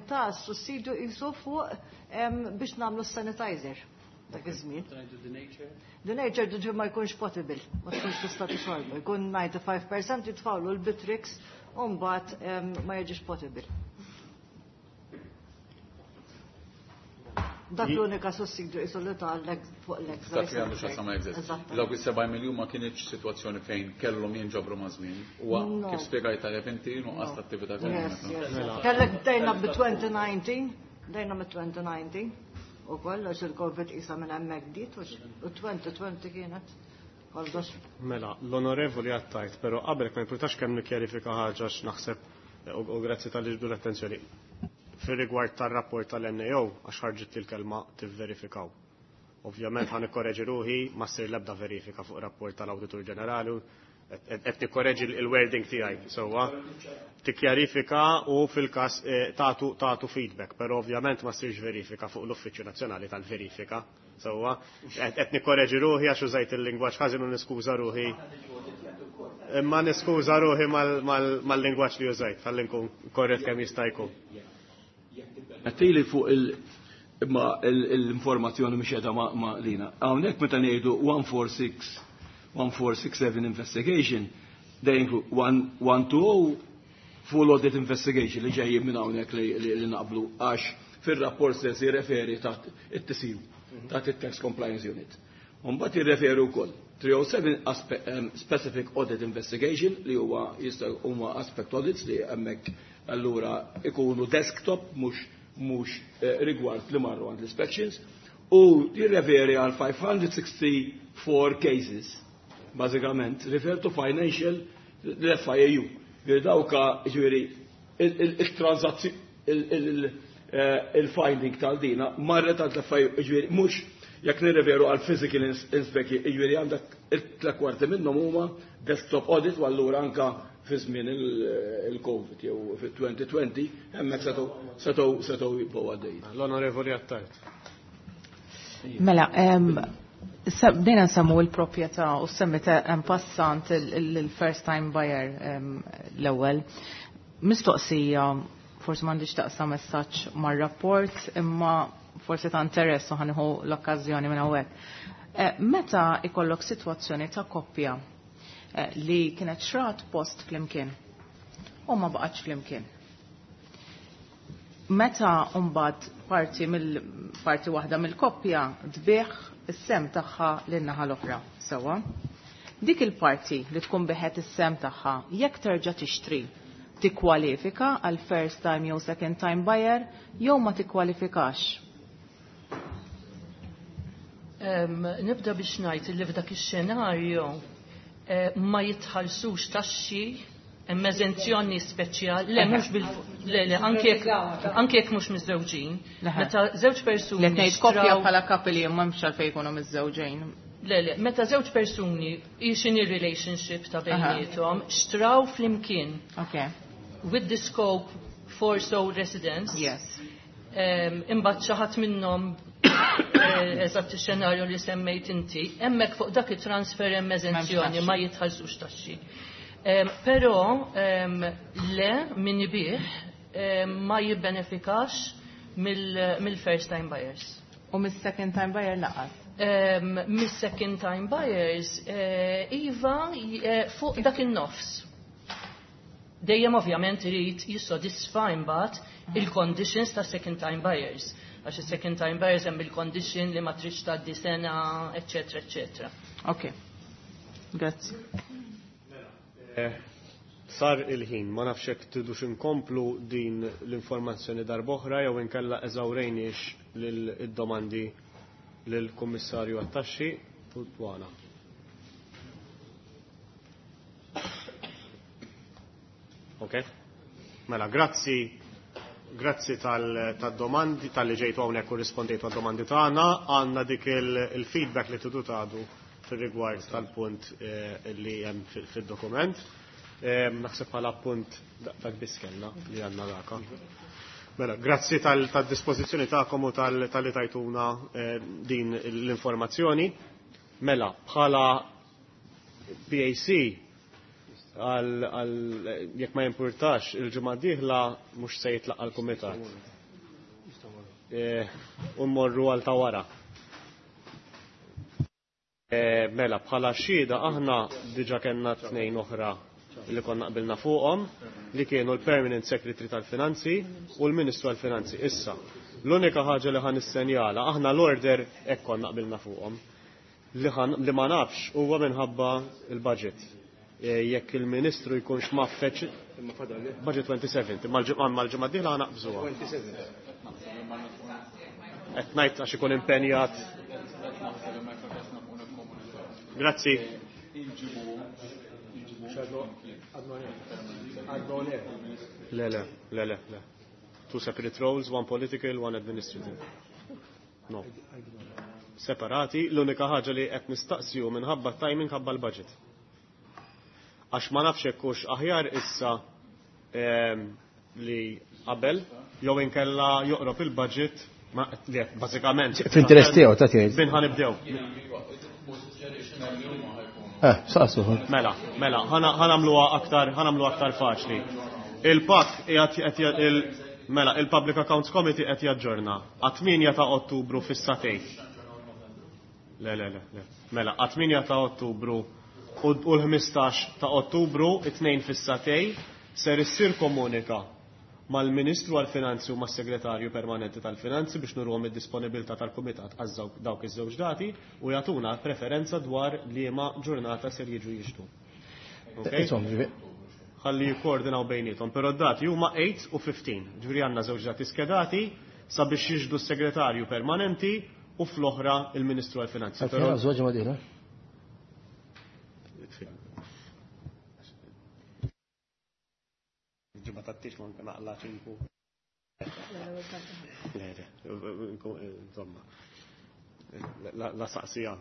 S13: ta' sussidju jisu fuq biex nagħmlu sanitizer dak iż-żmien. Denatured ġi ma jkunx potable, ma tkunx tista' tixorbu, jkun ninety-five percent jitfawlu l-Bitrex u mbagħad ma jiġix potable. Dak l-unika sussidju jisu li ta' fuq l-excise.
S3: Dak li għandu x'jaqsam ma' excise. Dawk is-seba' miljun ma kienx sitwazzjoni fejn kellhom jinġabru ma' żmien. Huwa kif spjegajt tajjeb inti, nuqqas ta' attività ekonomika.
S13: Kellek bdejna bi twenty nineteen, bdejna bi twenty nineteen u koll, għax il-Covid isa minn hemmhekk bdiet u twenty twenty kienet kollox.
S2: Mela, l-onorevoli għattajt, pero qabel ma jimpurtax kemm nikkjarifika ħaġa x'naħseb u grazzi talli ġbdu l-attenzjoni. Fir-rigward tar-rapport tal-N A O, għax ħarġit il-kelma tivverifikaw. Ovvjament ħa nikkoreġi ruħi, ma ssir l-ebda verifika fuq rapport tal-Awditur Ġenerali, qed nikkoreġi il-wording tiegħi sewwa. Tikkjarifika u fil-każ eh, tagħtu tagħtu feedback, però ovvjament ma ssirx verifika fuq l-Uffiċċju Nazzjonali tal-Verifika. Sewwa, qed nikkoreġi ruħi għax użajt il-lingwaġġ ħażin u niskuża ruħi. Imma niskuża ruħi mal-lingwaġġ li użajt, ħalli nkun korrett kemm jista' jkun.
S5: Għattili fuq il- imma l-informazzjoni mhix qiegħda ma' lina. Hawnhekk meta ngħidu one four six one four six seven investigation, they include one two zero full audit investigation li ġejjin minn hawnhekk li naqblu għax fir-rapport stess jirreferi taħt it-T C U, taħt it-Tax Compliance Unit. Mbagħad jirreferu wkoll three oh seven specific audit investigation li huwa jista' huma aspect audits li hemmhekk allura ikunu desktop, mhux mhux eh, rigward li marru għand l-inspections, u jirreferi għal five hundred sixty-four cases, bażikament refer to financial l-F I A U. Ġifieri dawka, ġifieri il-transazzjoni, il-finding tal-dina marret għand l-F I A U, ġifieri mhux jekk nirreferu għal physical inspection, ġifieri għandek it-tliet kwarti minnhom huma desktop audit u allura anka fi żmien il-Covid jew fit-twenty twenty hemmhekk setgħu setgħu setgħu jibqgħu għaddejjin.
S2: L-Onorevoli Attard.
S10: Mela, bdejna nsemmu l-proprjetà u semmit en passant il-first time buyer l-ewwel. Mistoqsija, forsi m'għandix taqsam messaġġ mar-rapport, imma forsi ta' interess u ħa nieħu l-okkażjoni minn hawnhekk. Eh, meta ikollok sitwazzjoni ta' koppja eh, li kienet xrat post flimkien u ma baqgħetx flimkien. Meta mbagħad parti mill parti waħda mill-koppja tbigħ is-sehem tagħha lin-naħa l-oħra, sewwa. Dik il-parti li tkun biegħet is-sehem tagħha, jekk terġa' tixtri, tikkwalifika għal first time jew second time buyer jew ma tikkwalifikax?
S11: Nibda biex ngħid li f'dak ix-xenarju eh, ma jitħallsux taxxi, hemm eżenzjoni speċjali, le, mhux bil le, le, anke jekk anke jekk mhux miżżewġin. Meta żewġ persuni
S10: Le, ngħid koppja bħala couple, ma mhux għalfejn jkunu miżżewġin.
S11: Le, le, meta żewġ persuni, x'inhi relationship ta' bejniethom, xtraw flimkien.
S10: Okay.
S11: With the scope for sole residence.
S10: Yes.
S11: Imbagħad xi ħadd minnhom eh, eżatt ix-xenarju li semmejt inti, hemmhekk fuq dak it-transfer hemm eżenzjoni, ma jitħallsux taxxi. Però le, min ibigħ ma jibbenefikax mill-first time buyers.
S10: U mis-second time buyer lanqas?
S11: Mis-second time buyers, eh, iva, eh, fuq dak in-nofs. Dejjem ovvjament irid jissodisfa imbagħad il-conditions ta' second time buyers. Għax il-second time buyers hemm il-condition li ma tridx tgħaddi sena, eċetera, eċetera.
S10: Ok. Grazzi.
S2: Eh, sar il-ħin, ma nafx hekk tridux inkomplu din l-informazzjoni darb'oħra jew inkella eżawrejniex lil-domandi lill-Kummissarju għat-Taxxi u d-Dwana. Ok? Mela, grazzi grazzi tal-domandi, tal-li ġejtu hawnhekk u rispondejtu għad-domandi tagħna, għandna dik il-feedback li tridu tagħtu fil-rigward tal-punt eh, li hemm fil-dokument. Eh, naħseb bħala punt dak biss kellna li għandna daka. Mela, grazzi tal-dispożizzjoni tagħkom u tal-li tajtuna eh, din l-informazzjoni. Mela, bħala P A C Għal jekk ma jimpurtax, il-ġimgħa d-dieħla mhux se jitlaqqa' l-kumitat. U mmorru għal ta' wara. Mela, bħala xhieda aħna diġà kellna tnejn oħra li konna qbilna fuqhom, li kienu l-Permanent Secretary tal-Finanzi u l-Ministru tal-Finanzi. Issa, l-unika ħaġa li ħa nissenjala, aħna l-order hekk konna qbilna fuqhom, li ma nafx huwa minħabba il-budget. Jekk il-Ministru jkunx maffeċ budget twenty-seven, imma l-ġimgħa d-dieħla ħa naqbżuha. Qed ngħid għax ikun impenjat. Grazzi. Le, le, le, le, le. Two separate roles, one political, one administrative. No. Separati, l-unika ħaġa li qed nistaqsiju minħabba timing ħabba l-budget. Għax ma nafx hekk hux aħjar issa li qabel jew inkella joqrob il-budget li bażikament.
S9: Fl-interess tiegħu ta' tgħid.
S2: Bin ħa nibdew.
S9: Eh, saqsu.
S2: Mela, mela, ħa nagħmluha aktar, ħa nagħmluha aktar faċli. Il-P A C qiegħed il mela, il-Public Accounts Committee qed jaġġorna għat-tmienja ta' Ottubru fis-sagħtejn. Le, le, le, le. Mela, għat-tmienja ta' Ottubru u l-ħmistax ta' Ottubru, it-tnejn fis-sagħtejn, ser issir komunika mal-Ministru għal-Finanzi u mas-Segretarju Permanenti tal-Finanzi biex nurhom id-disponibilità tal-Kumitat għaż dawk iż-żewġ dati u jagħtuna preferenza dwar liema ġurnata ser jiġu jixtu. Ħalli jikkoordinaw bejniethom, però d-dati huma eight u fifteen. Ġifieri għandna żewġ dati skedati sabiex jiġdu s-Segretarju Permanenti u fl-oħra il-Ministru għal-Finanzi.
S9: Però żewġ ma dieħla.
S2: Ġimgħa tattix ma naqla ċinku. Insomma, la saqsija,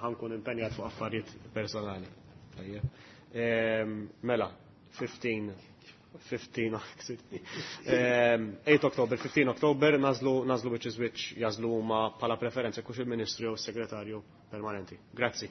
S2: ħankun impenjat fuq affarijiet personali. Mela, fifteen, fifteen, eight October, fifteen October, nazlu, nazlu which is which, jazlu huma bħala preferenza kux il-Ministru jew s-Segretarju Permanenti. Grazzi.